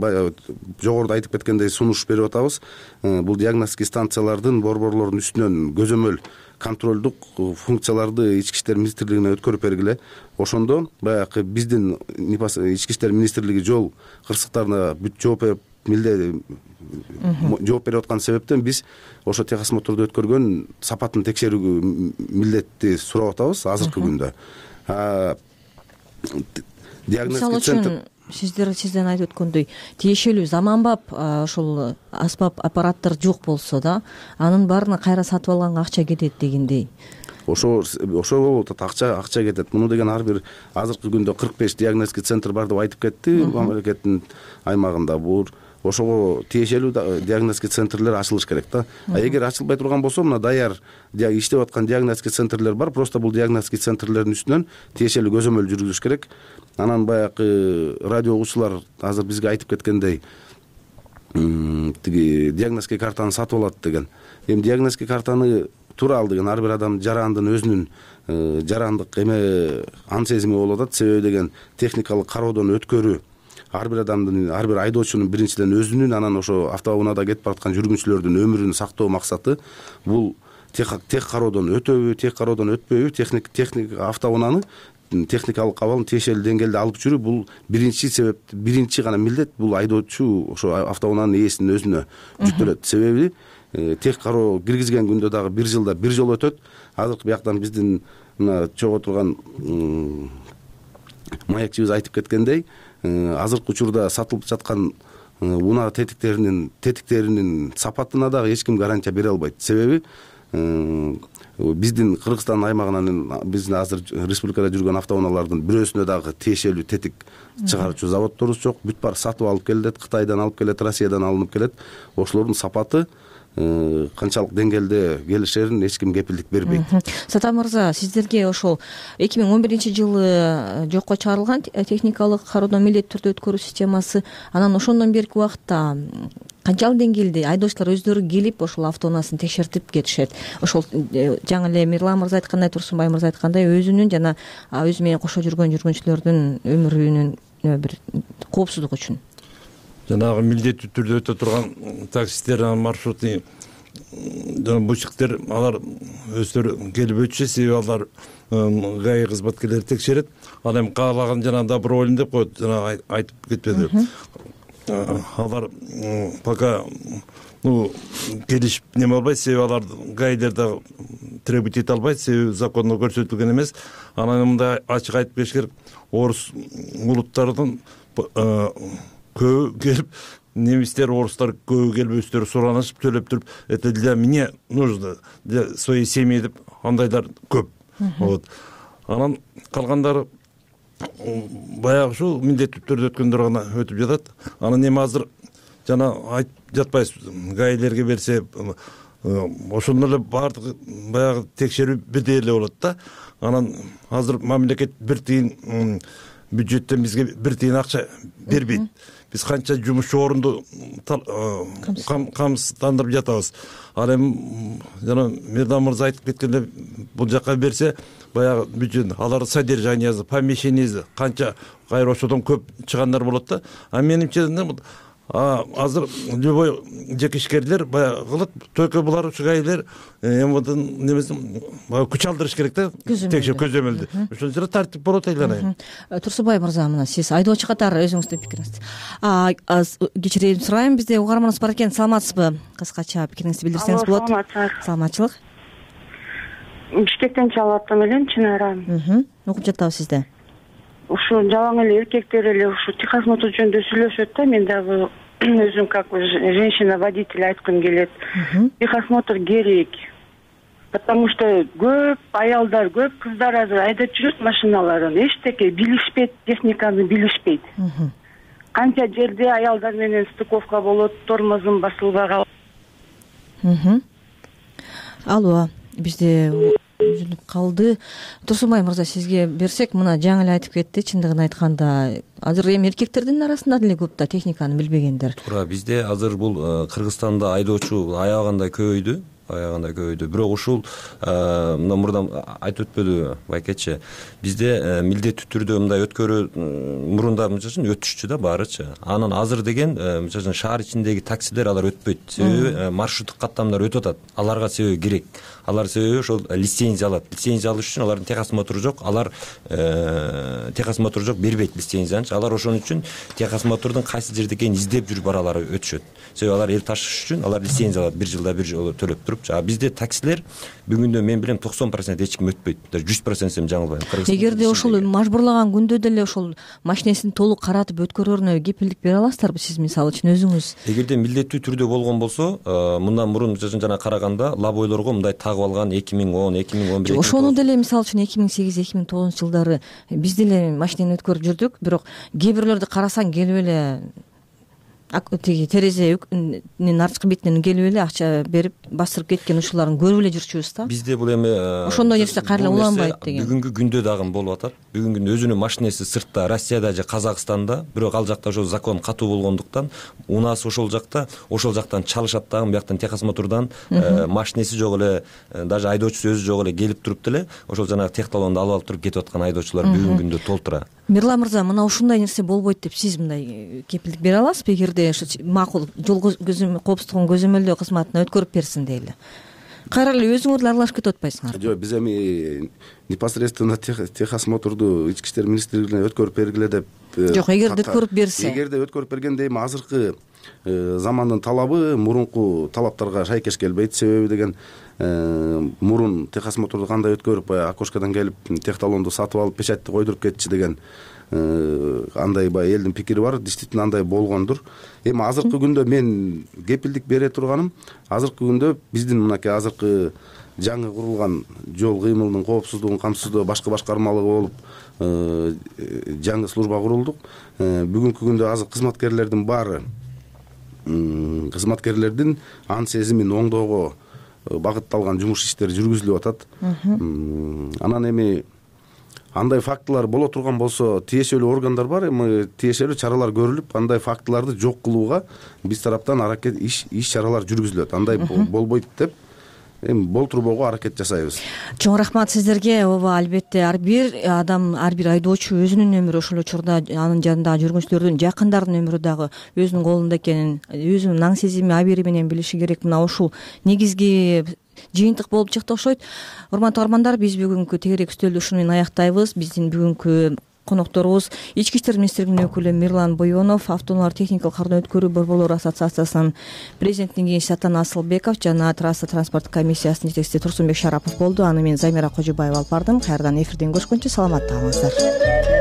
жогоруда айтып кеткендей сунуш берип атабыз. Бул диагностика станциялардын борборлордун үстүнөн көзөмөл контролдук функцияларды ички иштер министрлигине өткөрүп бергиле. Ошондо баягы биздин ички иштер министрлиги жол кырсыктарына бүт жооп берип милде жооп берип аткан себептен биз ошо техосмотрду өткөргөн сапатын текшерүүгө милдетти сурап атабыз азыркы күндө. Мисалы үчүн сиздер сизден айтып өткөндөй тиешелүү заманбап ошол аспап аппараттар жок болсо да, анын баарына кайра сатып алганга акча кетет дегендей. Ошо ошо болуп атат, акча акча кетет. Муну деген ар бир азыркы күндө кырк беш диагностика центр бар деп айтып кетти мамлекеттин аймагында. Бул ошого тиешелүү диагностика центрлер ачылыш керек да. А эгер ачылбай турган болсо, мына даяр иштеп аткан диагностика центрлер бар. Просто бул диагностика центрлердин үстүнөн тиешелүү көзөмөл жүргүзүш керек. Анан баягы радио угуучулар азыр бизге айтып кеткендей, тиги диагностика картаны сатып алат деген. Эми диагностика картаны туура ал деген ар бир адам жарандын өзүнүн жарандык эме ан сезими болуп атат. Себеби деген техникалык кароодон өткөрүү ар бир адамдын, ар бир айдоочунун биринчиден өзүнүн, анан ошо автоунаада кетип бараткан жүргүнчүлөрдүн өмүрүн сактоо максаты. Бул тех кароодон өтөбү, тех кароодон өтпөйбү, техник техник автоунаны техникалык абалын тиешелүү деңгээлде алып жүрүү, бул биринчи себеп, биринчи гана милдет бул айдоочу ошо автоунаанын ээсинин өзүнө жүктөлөт. Себеби тех кароо киргизген күндө дагы бир жылда бир жолу өтөт. Азыркы бияктан биздин мына чогуу турган маекчибиз айтып кеткендей, азыркы учурда сатылып жаткан унаа тетиктеринин тетиктеринин сапатына дагы эч ким гарантия бере албайт. Себеби биздин Кыргызстан аймагынан биздин азыр республикада жүргөн автоунаалардын бирөөсүнө дагы тиешелүү тетик чыгаруучу заводдорубуз жок. Бүт баары сатып алып келет, Кытайдан алып келет, Россиядан алынып келет. Ошолордун сапаты канчалык деңгээлде келишерин эч ким кепилдик бербейт. Сатам мырза, сиздерге ошол эки миң он биринчи жылы жокко чыгарылган техникалык кароодон милдеттүү түрдө өткөрүү системасы, анан ошондон берки убакытта канчалык деңгээлде айдоочулар өздөрү келип ошол автоунаасын текшертип кетишет? Ошол жаңы эле Мирлан мырза айткандай, Турсунбай мырза айткандай, өзүнүн жана өзү менен кошо жүргөн жүргүнчүлөрдүн өмүрүнүн бир коопсуздугу үчүн. Жанагы милдеттүү түрдө өтө турган таксисттер, маршрутный жана бучиктер, алар өздөрү келип өтүшөт, себеби алар ГАИ кызматкерлери текшерет. Ал эми каалаган жана добровольный деп коет, жана айтып кетпеди. Алар пока ну келишип неме албайт, себеби алар ГАИдер да требовать эте албайт, себеби закондо көрсөтүлгөн эмес. Анан мындай ачык айтып кетиш керек, орус улуттарынын көбү келип, немистер, орустар көбү келип өздөрү суранышып, төлөп туруп, это для меня нужно, для своей семьи деп андайлар көп. Вот. Анан калгандары баягы ушул милдеттүү түрдө өткөндөр гана өтүп жатат. Анан эми азыр жана айтып жатпайсызбы, ГАИлерге берсе ошондо эле баардыгы баягы текшерүү бирдей эле болот да. Анан азыр мамлекет бир тыйын бюджеттен бизге бир тыйын акча бербейт. Биз канча жумушчу орунду камсыздандырып жатабыз. Ал эми жана Мирдан мырза айтып кеткендей, бул жака берсе баягы бюджет, алар содержаниясы, помещениясы канча кайра ошодон көп чыгандар болот да. А менимче азыр любой жеке ишкерлер баягы кылат, только булар ушу ГАИлер эмдин немесин күч алдырыш керек да, текшер көзөмөлдү. Ошон жерде тартип болот айланайын. Турсунбай мырза, мына сиз айдоочу катары өзүңүздүн пикириңиз. Кечирейм сурайм, бизде угарманыбыз бар экен, саламатсызбы? Кыскача пикириңизди билдирсеңиз болот. Саламатчылык. Бишкектен чалып аттым элем, Чынара. Окуп жатабыз сизде. Ушу жалаң эле эркектер эле ушу техосмотр жөнүндө сүйлөшөт да, мен дагы өзүм как женщина водитель айткым келет. Техосмотр керек. Потому что көп аялдар, көп кыздар азыр айдап жүрөт машиналарын, эчтеке билишпейт, техниканы билишпейт. Канча жерде аялдар менен стыковка болот, тормозун басылбай калат. Алло, бизде үзүлүп калды. Турсунбай мырза, сизге берсек, мына жаңы эле айтып кетти, чындыгын айтканда азыр эми эркектердин арасында деле көп да техниканы билбегендер. Туура, бизде азыр бул Кыргызстанда айдоочу аягандай көбөйдү, аягандай көбөйдү. Бирок ушул мына мурда айтып өтпөдү байкечи, бизде милдеттүү түрдө мындай өткөрүү мурунда мынча өтүшчү да баарычы. Анан азыр деген мынча шаар ичиндеги таксилер алар өтпөйт, себеби маршруттук каттамдар өтүп атат. Аларга себеби керек. Алар себеби ошол лицензия алат. Лицензия алыш үчүн алардын техосмотру жок, алар техосмотру жок, бербейт лицензияны. Алар ошон үчүн техосмотрдун кайсы жерде экенин издеп жүрүп баралары өтүшөт. Себеби алар эл ташыш үчүн алар лицензия алат, бир жылда бир жолу төлөп туруп. А бизде таксилер бүгүндө мен билем токсон процент эч ким өтпөйт. Даже жүз процент десем жаңылбайм. Эгерде ошол мажбурлаган күндө деле ошол машинесин толук каратып өткөрөрүнө кепилдик бере аласыздарбы сиз мисалы үчүн өзүңүз? Эгерде милдеттүү түрдө болгон болсо, мындан мурун жана караганда лабойлорго мындай тагып алган эки миң он, эки миң он бир. Ошону деле мисалы үчүн эки миң сегиз, эки миң тогузунчу жылдары биз деле машинени өткөрүп жүрдүк, бирок кээ бирлөрдү карасаң келип эле тиги терезенин арткы бетинен келип эле акча берип бастырып кеткен ушуларын көрүп эле жүрчүбүз да. Бизде бул эми ошондой нерсе кайра эле уланбайт деген. Бүгүнкү күндө дагы болуп атат. Бүгүнкү күндө өзүнүн машинеси сыртта, Россияда же Казакстанда, бирок ал жакта ошол закон катуу болгондуктан унаасы ошол жакта, ошол жактан чалышат дагы, бияктан техосмотрдан машинеси жок эле, даже айдоочусу өзү жок эле келип туруп деле ошол жанагы техталонду алып алып туруп кетип аткан айдоочулар бүгүнкү күндө толтура. Мирлан мырза, мына ушундай нерсе болбойт деп сиз мындай кепилдик бере аласызбы? Эгерде макул жол коопсуздугун көзөмөлдөө кызматына өткөрүп берсин дейли. Кайра эле өзүңөр деле аралашып кетип атпайсыңар? Жок, биз эми непосредственно техосмотрду ички иштер министрлигине өткөрүп бергиле деп жок, эгерде өткөрүп берсе эгерде өткөрүп бергенде эми азыркы замандын талабы мурунку талаптарга шайкеш келбейт. Себеби деген мурун техосмотрду кандай өткөрүп баягы окошкадан келип техталонду сатып алып печатьти койдуруп кетчи деген андай баягы элдин пикири бар. Действительно андай болгондур. Эми азыркы күндө мен кепилдик бере турганым, азыркы күндө биздин мынакей азыркы жаңы курулган жол кыймылынын коопсуздугун камсыздоо башкы башкармалыгы болуп жаңы служба курулдук. Бүгүнкү күндө азыр кызматкерлердин баары кызматкерлердин ан сезимин оңдоого багытталган жумуш иштери жүргүзүлүп атат. Анан эми андай фактылар боло турган болсо тиешелүү органдар бар, эми тиешелүү чаралар көрүлүп, андай фактыларды жок кылууга биз тараптан аракет иш иш чаралар жүргүзүлөт. Андай болбойт деп эми болтурбоого аракет жасайбыз. Чоң рахмат сиздерге. Ооба, албетте ар бир адам, ар бир айдоочу өзүнүн өмүрү, ошол учурда анын жанындагы жүргүнчүлөрдүн, жакындарынын өмүрү дагы өзүнүн колунда экенин, өзүнүн аң сезими, абийири менен билиши керек. Мына ушул негизги жыйынтык болуп чыкты окшойт. Урматтуу армандар, биз бүгүнкү тегерек үстөлдү ушуну менен аяктайбыз. Биздин бүгүнкү конокторубуз Ички иштер министрлигинин өкүлү Мирлан Бойонов, автоунаалар техникалык кардон өткөрүү борборлору ассоциациясынын президентинин кеңешчиси Атан Асылбеков жана трасса транспорт комиссиясынын жетекчиси Турсунбек Шарапов болду. Аны мен Замира Кожобаева алып бардым. Кайрадан эфирден көрүшкөнчө саламатта калыңыздар.